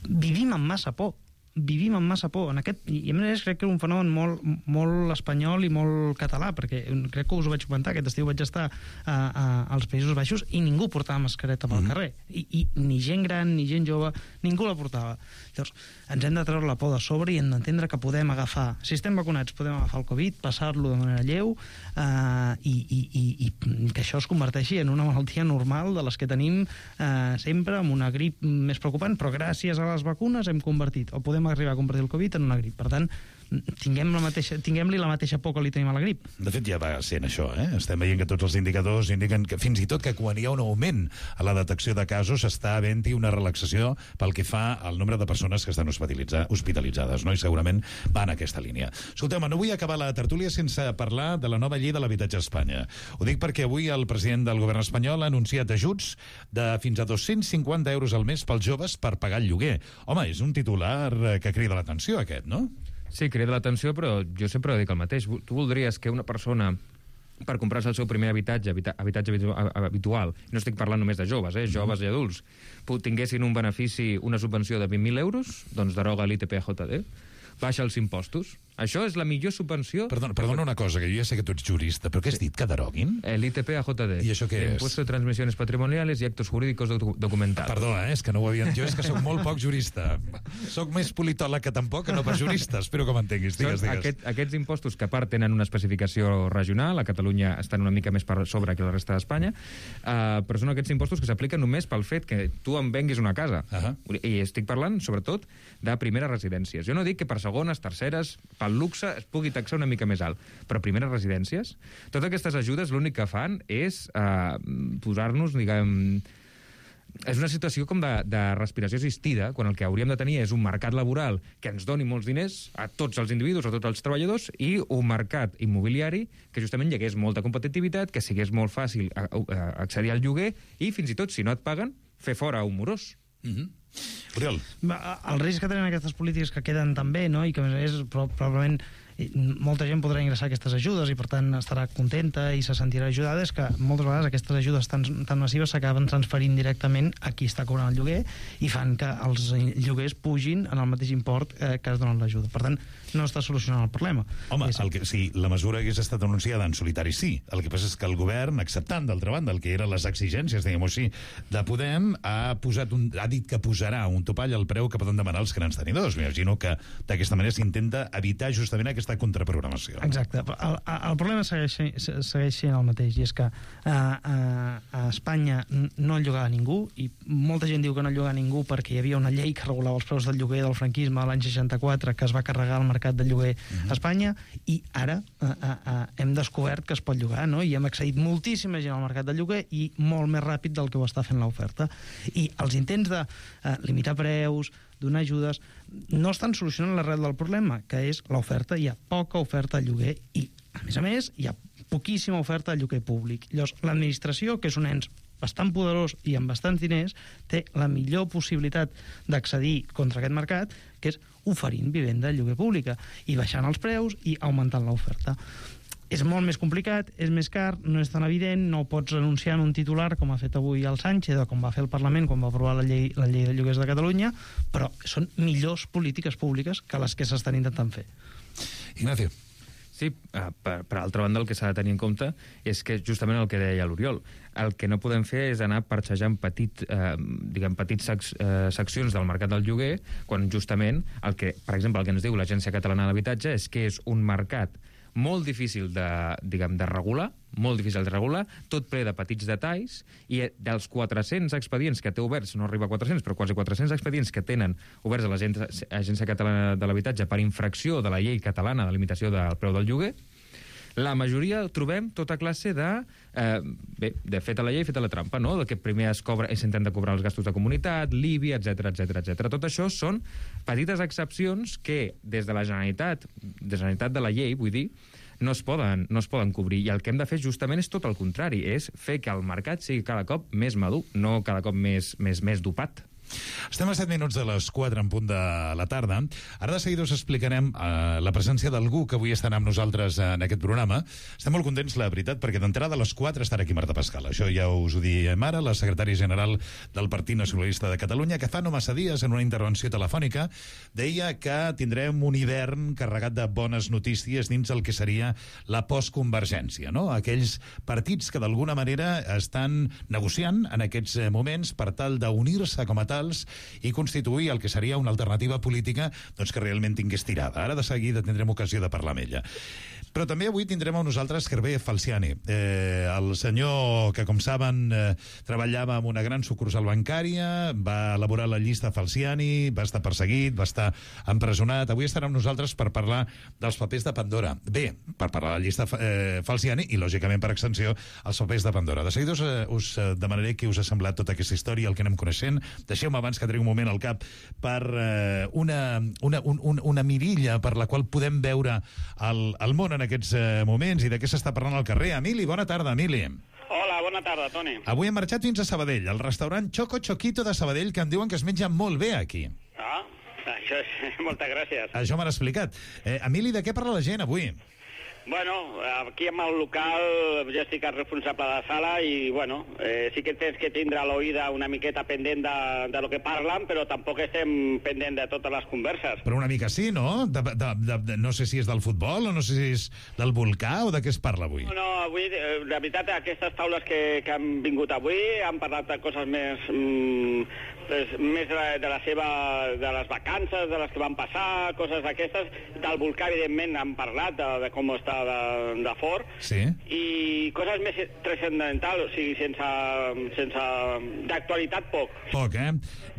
Speaker 11: vivim amb massa por. Vivim amb massa por. En aquest, I a més crec que és un fenomen molt, molt espanyol i molt català, perquè crec que us ho vaig comentar, aquest estiu vaig estar a, a, als Països Baixos i ningú portava mascareta pel mm-hmm. carrer. I, I ni gent gran, ni gent jove, ningú la portava. Llavors, ens hem de treure la por de sobre i hem d'entendre que podem agafar, si estem vacunats, podem agafar el Covid, passar-lo de manera lleu eh, i, i, i, i que això es converteixi en una malaltia normal de les que tenim eh, sempre, amb una grip més preocupant, però gràcies a les vacunes hem convertit, o podem arribar a convertir el Covid en una grip. Per tant, tinguem la mateixa, tinguem-li la mateixa por que li tenim a la grip.
Speaker 6: De fet, ja va sent això, eh? Estem veient que tots els indicadors indiquen que fins i tot que quan hi ha un augment a la detecció de casos està havent-hi una relaxació pel que fa al nombre de persones que estan hospitalitzades, no? I segurament va en aquesta línia. Escolteu, no vull acabar la tertúlia sense parlar de la nova llei de l'habitatge a Espanya. Ho dic perquè avui el president del govern espanyol ha anunciat ajuts de fins a dos-cents cinquanta euros al mes pels joves per pagar el lloguer. Home, és un titular que crida l'atenció, aquest, no?
Speaker 12: Sí, crida l'atenció, però jo sempre dic el mateix. Tu voldries que una persona, per comprar-se el seu primer habitatge, habita, habitatge habitual, no estic parlant només de joves, eh, joves i adults, tinguessin un benefici, una subvenció de vint mil euros, doncs deroga l'I T P J D, baixa els impostos. Això és la millor subvenció...
Speaker 6: Perdona, perdona una cosa, que jo ja sé que tu ets jurista, però què has dit, que deroguin?
Speaker 12: L'I T P A J D.
Speaker 6: I això què és?
Speaker 12: Impuesto de transmissiones patrimoniales y actos jurídicos documentados.
Speaker 6: Perdona, eh, és que no ho havia... Jo és que soc molt poc jurista. Soc més politòleg que tampoc, que no pas jurista. Espero que m'entenguis. Digues, digues.
Speaker 12: Aquest, aquests impostos, que a part tenen una especificació regional, a Catalunya estan una mica més per sobre que la resta d'Espanya, uh, però són aquests impostos que s'apliquen només pel fet que tu em venguis una casa. Uh -huh. I estic parlant, sobretot, de primeres residències. Jo no dic que per segones, terceres, pel luxe es pugui taxar una mica més alt, però primeres residències, totes aquestes ajudes l'únic que fan és eh, posar-nos, diguem... És una situació com de, de respiració assistida, quan el que hauríem de tenir és un mercat laboral que ens doni molts diners a tots els individus, a tots els treballadors, i un mercat immobiliari que justament hi hagués molta competitivitat, que sigués molt fàcil a, a accedir al lloguer i, fins i tot, si no et paguen, fer fora un morós.
Speaker 6: Mm-hmm. Oriol.
Speaker 11: El risc que tenen aquestes polítiques que queden també, no? I que a més a més probablement molta gent podrà ingressar aquestes ajudes i per tant estarà contenta i se sentirà ajudada, és que moltes vegades aquestes ajudes tan, tan massives s'acaben transferint directament a qui està cobrant el lloguer i fan que els lloguers pugin en el mateix import eh, que es donen l'ajuda. Per tant, no està solucionant el problema.
Speaker 6: Home, el que, si la mesura hagués estat anunciada en solitari, sí. El que passa és que el govern, acceptant d'altra banda el que eren les exigències, diguem-ho així, de Podem, ha, posat un, ha dit que posarà un topall al preu que poden demanar els grans tenidors. M'imagino que d'aquesta manera s'intenta evitar justament aquesta contraprogramació.
Speaker 11: Exacte. El, el problema segueix, segueix sent el mateix, i és que a, a, a Espanya no llogava ningú, i molta gent diu que no llogava ningú perquè hi havia una llei que regulava els preus del lloguer del franquisme l'any seixanta-quatre, que es va carregar al mercat del lloguer uh-huh. a Espanya, i ara a, a, a, hem descobert que es pot llogar, no? I hem accedit moltíssima gent al mercat del lloguer i molt més ràpid del que ho està fent l'oferta. I els intents de eh, limitar preus, donar ajudes, no estan solucionant l'arrel del problema, que és l'oferta. Hi ha poca oferta al lloguer i, a més a més, hi ha poquíssima oferta al lloguer públic. Llavors, l'administració, que és un ens bastant poderós i amb bastants diners, té la millor possibilitat d'accedir contra aquest mercat, que és oferint vivenda de lloguer pública i baixant els preus i augmentant l'oferta. És molt més complicat, és més car, no és tan evident, no ho pots anunciar en un titular com ha fet avui el Sánchez o com va fer el Parlament quan va aprovar la llei, la llei de lloguers de Catalunya, però són millors polítiques públiques que les que s'estan intentant fer.
Speaker 6: Ignacio.
Speaker 12: Sí, per, per altra banda, el que s'ha de tenir en compte és que justament el que deia l'Oriol, el que no podem fer és anar parxejant petit, eh, diguem, petits sec, eh, seccions del mercat del lloguer, quan justament, el que, per exemple, el que ens diu l'Agència Catalana de l'Habitatge és que és un mercat molt difícil de, diguem, de regular, molt difícil de regular, tot ple de petits detalls, i dels quatre-cents expedients que té oberts, no arriba a quatre-cents, però quasi quatre-cents expedients que tenen oberts a l'Agència Catalana de l'Habitatge per infracció de la llei catalana de limitació del preu del lloguer, la majoria trobem tota classe de... Eh, bé, de feta la llei, feta la trampa, no? De que primer es cobra i s'intenta cobrar els gastos de comunitat, l'I B I, etcètera, etcètera, etcètera. Tot això són petites excepcions que des de la Generalitat, de la Generalitat de la llei, vull dir, no es poden, no es poden cobrir. I el que hem de fer justament és tot el contrari, és fer que el mercat sigui cada cop més madur, no cada cop més, més, més dopat.
Speaker 6: Estem a set minuts de les quatre en punt de la tarda. Ara de seguida us explicarem eh, la presència d'algú que avui estarà amb nosaltres en aquest programa. Estem molt contents, la veritat, perquè d'entrada a les quatre estarà aquí Marta Pascal. Això ja us ho diem ara, la secretària general del Partit Nacionalista de Catalunya, que fa no massa dies, en una intervenció telefònica, deia que tindrem un hivern carregat de bones notícies dins el que seria la postconvergència, no? Aquells partits que d'alguna manera estan negociant en aquests moments per tal d'unir-se com a tals i constituir el que seria una alternativa política doncs, que realment tingués tirada. Ara de seguida tindrem ocasió de parlar amb ella. Però també avui tindrem amb nosaltres Hervé Falciani, eh, el senyor que, com saben, eh, treballava en una gran sucursal bancària, va elaborar la llista Falciani, va estar perseguit, va estar empresonat. Avui estarà amb nosaltres per parlar dels papers de Pandora. Bé, per parlar de la llista eh, Falciani i, lògicament, per extensió, els papers de Pandora. De seguida us, eh, us demanaré què us ha semblat tota aquesta història, el que anem coneixent. Deixeu-me abans que tregui un moment al cap per eh, una, una, un, un, una mirilla per la qual podem veure el, el món en aquests eh, moments i de què s'està parlant al carrer. Emili, bona tarda, Emili.
Speaker 16: Hola, bona tarda, Toni.
Speaker 6: Avui hem marxat fins a Sabadell, al restaurant Choco Choquito de Sabadell, que em diuen que es menja molt bé aquí.
Speaker 16: Ah, això és... Moltes gràcies.
Speaker 6: Això m'han explicat. Eh, Emili, de què parla la gent avui?
Speaker 16: Bueno, aquí amb el local jo estic el responsable de la sala i, bueno, eh, sí que tens que tindre l'oïda una miqueta pendent de, de lo que parlen, però tampoc estem pendent de totes les converses.
Speaker 6: Però una mica sí, no? De, de, de, de, no sé si és del futbol o no sé si és del volcà o de què es parla avui.
Speaker 16: No, no, avui, eh, la veritat, aquestes taules que, que han vingut avui han parlat de coses més... Mm, pues, més de, de la seva... de les vacances, de les que van passar, coses d'aquestes. Del volcà, evidentment, han parlat de, de com està de, de fort.
Speaker 6: Sí.
Speaker 16: I coses més transcendentals, o sigui, sense... sense d'actualitat, poc.
Speaker 6: Poc, eh?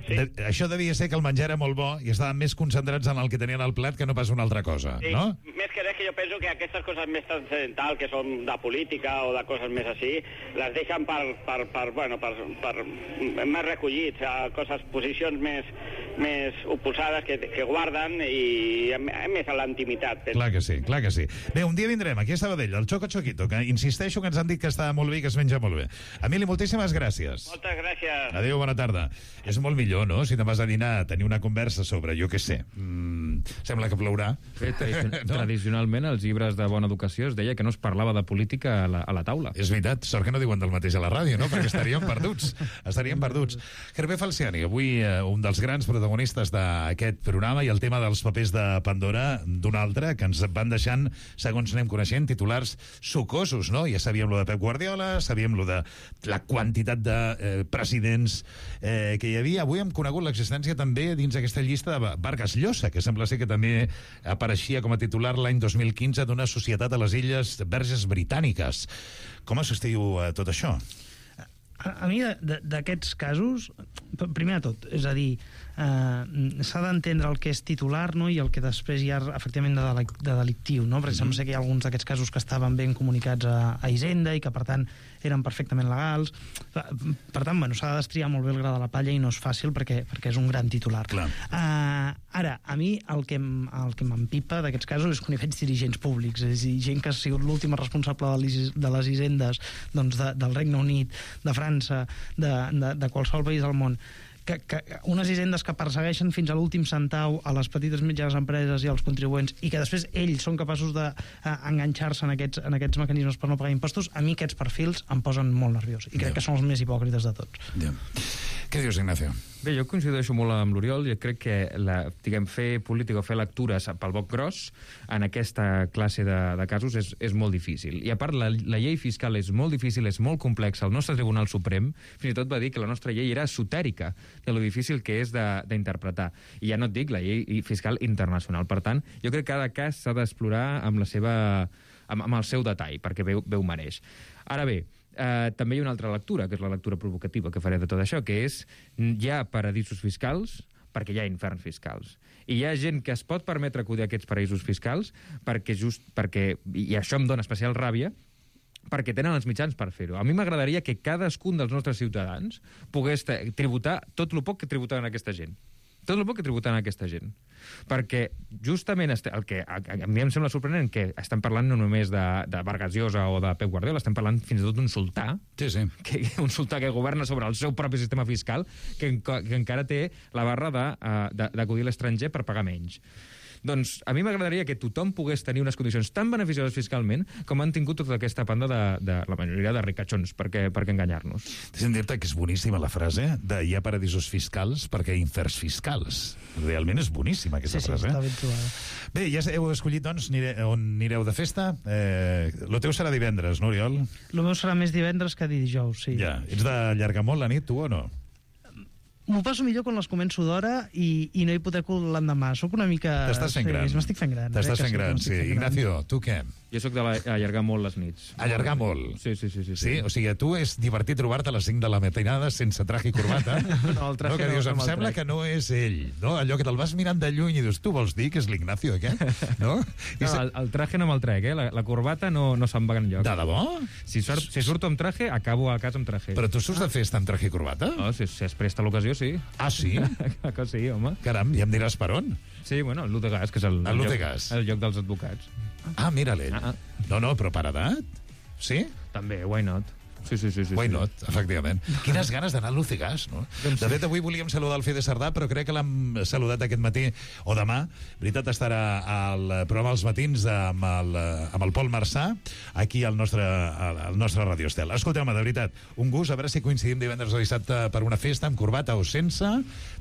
Speaker 6: Sí. De, això devia ser que el menjar era molt bo i estaven més concentrats en el que tenien al plat que no pas una altra cosa,
Speaker 16: sí,
Speaker 6: no?
Speaker 16: Més que res que jo penso que aquestes coses més transcendentals, que són de política o de coses més així, les deixen per, per, per, bueno, per, per més recollits, a coses, posicions més, més oposades que, que guarden i a més a la intimitat.
Speaker 6: Clar que sí, clar que sí. Bé, un dia vindrem aquí a Sabadell, al Choco Choquito, que insisteixo que ens han dit que està molt bé i que es menja molt bé. Emili, moltíssimes gràcies.
Speaker 16: Moltes gràcies.
Speaker 6: Adéu, bona tarda. És molt millor, no?, si te'n vas a dinar a tenir una conversa sobre, jo què sé, mm, sembla que plourà.
Speaker 12: Bé, tradicion no? Tradicionalment, als llibres de bona educació es deia que no es parlava de política a la, a la taula.
Speaker 6: És veritat, sort que no diuen del mateix a la ràdio, no?, perquè estaríem perduts. Estaríem perduts. Hervé Falciani, avui eh, un dels grans protagonistes d'aquest programa i el tema dels papers de Pandora d'un altre, que ens van deixant, segons anem coneixent, titulars sucosos, no? Ja sabíem lo de Pep Guardiola, sabíem lo de la quantitat de eh, presidents eh, que hi havia. Avui hem conegut l'existència també dins aquesta llista de Vargas Llosa, que sembla ser que també apareixia com a titular l'any dos mil quinze d'una societat a les Illes Verges Britàniques. Com assistiu a tot això?
Speaker 11: A, a mi, d'aquests casos, primer de tot, és a dir, eh, s'ha d'entendre el que és titular, no?, i el que després hi ha efectivament de, delic de delictiu, no?, perquè sembla ser que hi ha alguns d'aquests casos que estaven ben comunicats a, a Hisenda i que, per tant, eren perfectament legals. Per tant, bueno, s'ha de destriar molt bé el gra de la palla i no és fàcil perquè, perquè és un gran titular.
Speaker 6: Clar.
Speaker 11: Uh, ara, a mi el que, el que m'empipa d'aquests casos és quan hi veig dirigents públics, és a dir, gent que ha sigut l'última responsable de les, de les hisendes doncs de, del Regne Unit, de França, de, de, de qualsevol país del món, que, que unes hisendes que persegueixen fins a l'últim centau a les petites i mitjanes empreses i als contribuents i que després ells són capaços d'enganxar-se en, aquests, en aquests mecanismes per no pagar impostos, a mi aquests perfils em posen molt nerviós i crec yeah. que són els més hipòcrites de tots.
Speaker 6: Yeah. Què dius, Ignacio?
Speaker 12: Bé, jo coincideixo molt amb l'Oriol i crec que la, diguem, fer política o fer lectures pel boc gros en aquesta classe de, de casos és, és molt difícil. I a part, la, la llei fiscal és molt difícil, és molt complexa. El nostre Tribunal Suprem fins i tot va dir que la nostra llei era esotèrica de lo difícil que és d'interpretar. I ja no et dic la llei fiscal internacional. Per tant, jo crec que cada cas s'ha d'explorar amb, la seva, amb, amb el seu detall, perquè bé, bé ho mereix. Ara bé, Uh, també hi ha una altra lectura, que és la lectura provocativa que faré de tot això, que és hi ha paradisos fiscals perquè hi ha inferns fiscals. I hi ha gent que es pot permetre acudir a aquests paradisos fiscals perquè just perquè, i això em dona especial ràbia, perquè tenen els mitjans per fer-ho. A mi m'agradaria que cadascun dels nostres ciutadans pogués tributar tot el poc que tributaven aquesta gent. tot el bo que tributen a aquesta gent. Perquè justament el que a, a mi em sembla sorprenent que estem parlant no només de, de Vargas Llosa o de Pep Guardiola, estem parlant fins i tot d'un sultà,
Speaker 6: sí, sí.
Speaker 12: Que, un sultà que governa sobre el seu propi sistema fiscal, que, que encara té la barra d'acudir a l'estranger per pagar menys. Doncs a mi m'agradaria que tothom pogués tenir unes condicions tan beneficioses fiscalment com han tingut tota aquesta banda de, de la majoria de ricachons, perquè, perquè enganyar-nos.
Speaker 6: Deixa'm dir-te que és boníssima la frase de hi ha paradisos fiscals perquè hi ha inferns fiscals. Realment és boníssima aquesta
Speaker 11: sí,
Speaker 6: frase.
Speaker 11: Sí, està ben trobada.
Speaker 6: Bé, ja heu escollit, doncs, nire, on anireu de festa. Eh, lo teu serà divendres, no, Oriol?
Speaker 11: Lo meu serà més divendres que dijous, sí.
Speaker 6: Ja. Ets d'allargar molt la nit, tu, o no?
Speaker 11: M'ho passo millor quan les començo d'hora i, i no hipoteco l'endemà. Soc una mica...
Speaker 6: T'estàs fent
Speaker 11: sí,
Speaker 6: gran.
Speaker 11: M'estic fent gran.
Speaker 6: T'estàs
Speaker 11: eh,
Speaker 6: fent gran, sí. sí. Ignacio, tu què?
Speaker 12: Jo sóc d'allargar molt les nits.
Speaker 6: Allargar molt?
Speaker 12: Sí, sí, sí. Sí,
Speaker 6: sí? O sigui, a tu és divertit trobar-te a les cinc de la matinada sense traje i corbata?
Speaker 12: No, el traje
Speaker 6: no, que
Speaker 12: no,
Speaker 6: dius,
Speaker 12: no
Speaker 6: em sembla
Speaker 12: traje.
Speaker 6: que no és ell. No? Allò que te'l vas mirant de lluny i dius, tu vols dir que és l'Ignacio aquest? No?
Speaker 12: No,
Speaker 6: se...
Speaker 12: el, el traje no me'l trec, eh? La, la corbata no, no se'n va enlloc.
Speaker 6: De debò?
Speaker 12: Si, surt, si surto amb traje, acabo a casa amb traje.
Speaker 6: Però tu surts de festa amb traje i corbata?
Speaker 12: No, si, si es presta l'ocasió, sí.
Speaker 6: Ah, sí?
Speaker 12: Que sí, home.
Speaker 6: Caram, ja em diràs per on?
Speaker 12: Sí, bueno, el Lutegas, que és el,
Speaker 6: el,
Speaker 12: el,
Speaker 6: lloc,
Speaker 12: el lloc dels advocats.
Speaker 6: Ah, mira l'ell. Ah, ah. No, no, però per edat? Sí?
Speaker 12: També, why not? Sí, sí, sí. sí
Speaker 6: Why
Speaker 12: sí.
Speaker 6: not, efectivament. Quines ganes d'anar a Lucegas, no? De fet, avui volíem saludar el Fede Sardà, però crec que l'hem saludat aquest matí o demà. Veritat, estarà al programa Els Matins amb el, amb el Pol Marçà, aquí al nostre, al nostre Radio Estel. Escolteu-me, de veritat, un gust, a veure si coincidim divendres o dissabte per una festa, amb corbata o sense.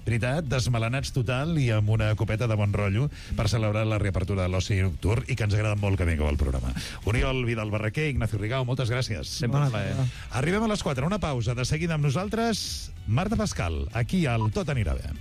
Speaker 6: Veritat, desmelenats total i amb una copeta de bon rotllo per celebrar la reapertura de l'oci nocturn i que ens agrada molt que vingueu al programa. Oriol Vidal Barraquer, Ignacio Rigau, moltes gràcies.
Speaker 12: Sempre un plaer.
Speaker 6: Arribem a les quatre, una pausa. De seguida amb nosaltres, Marta Pascal, aquí al Tot anirà bé.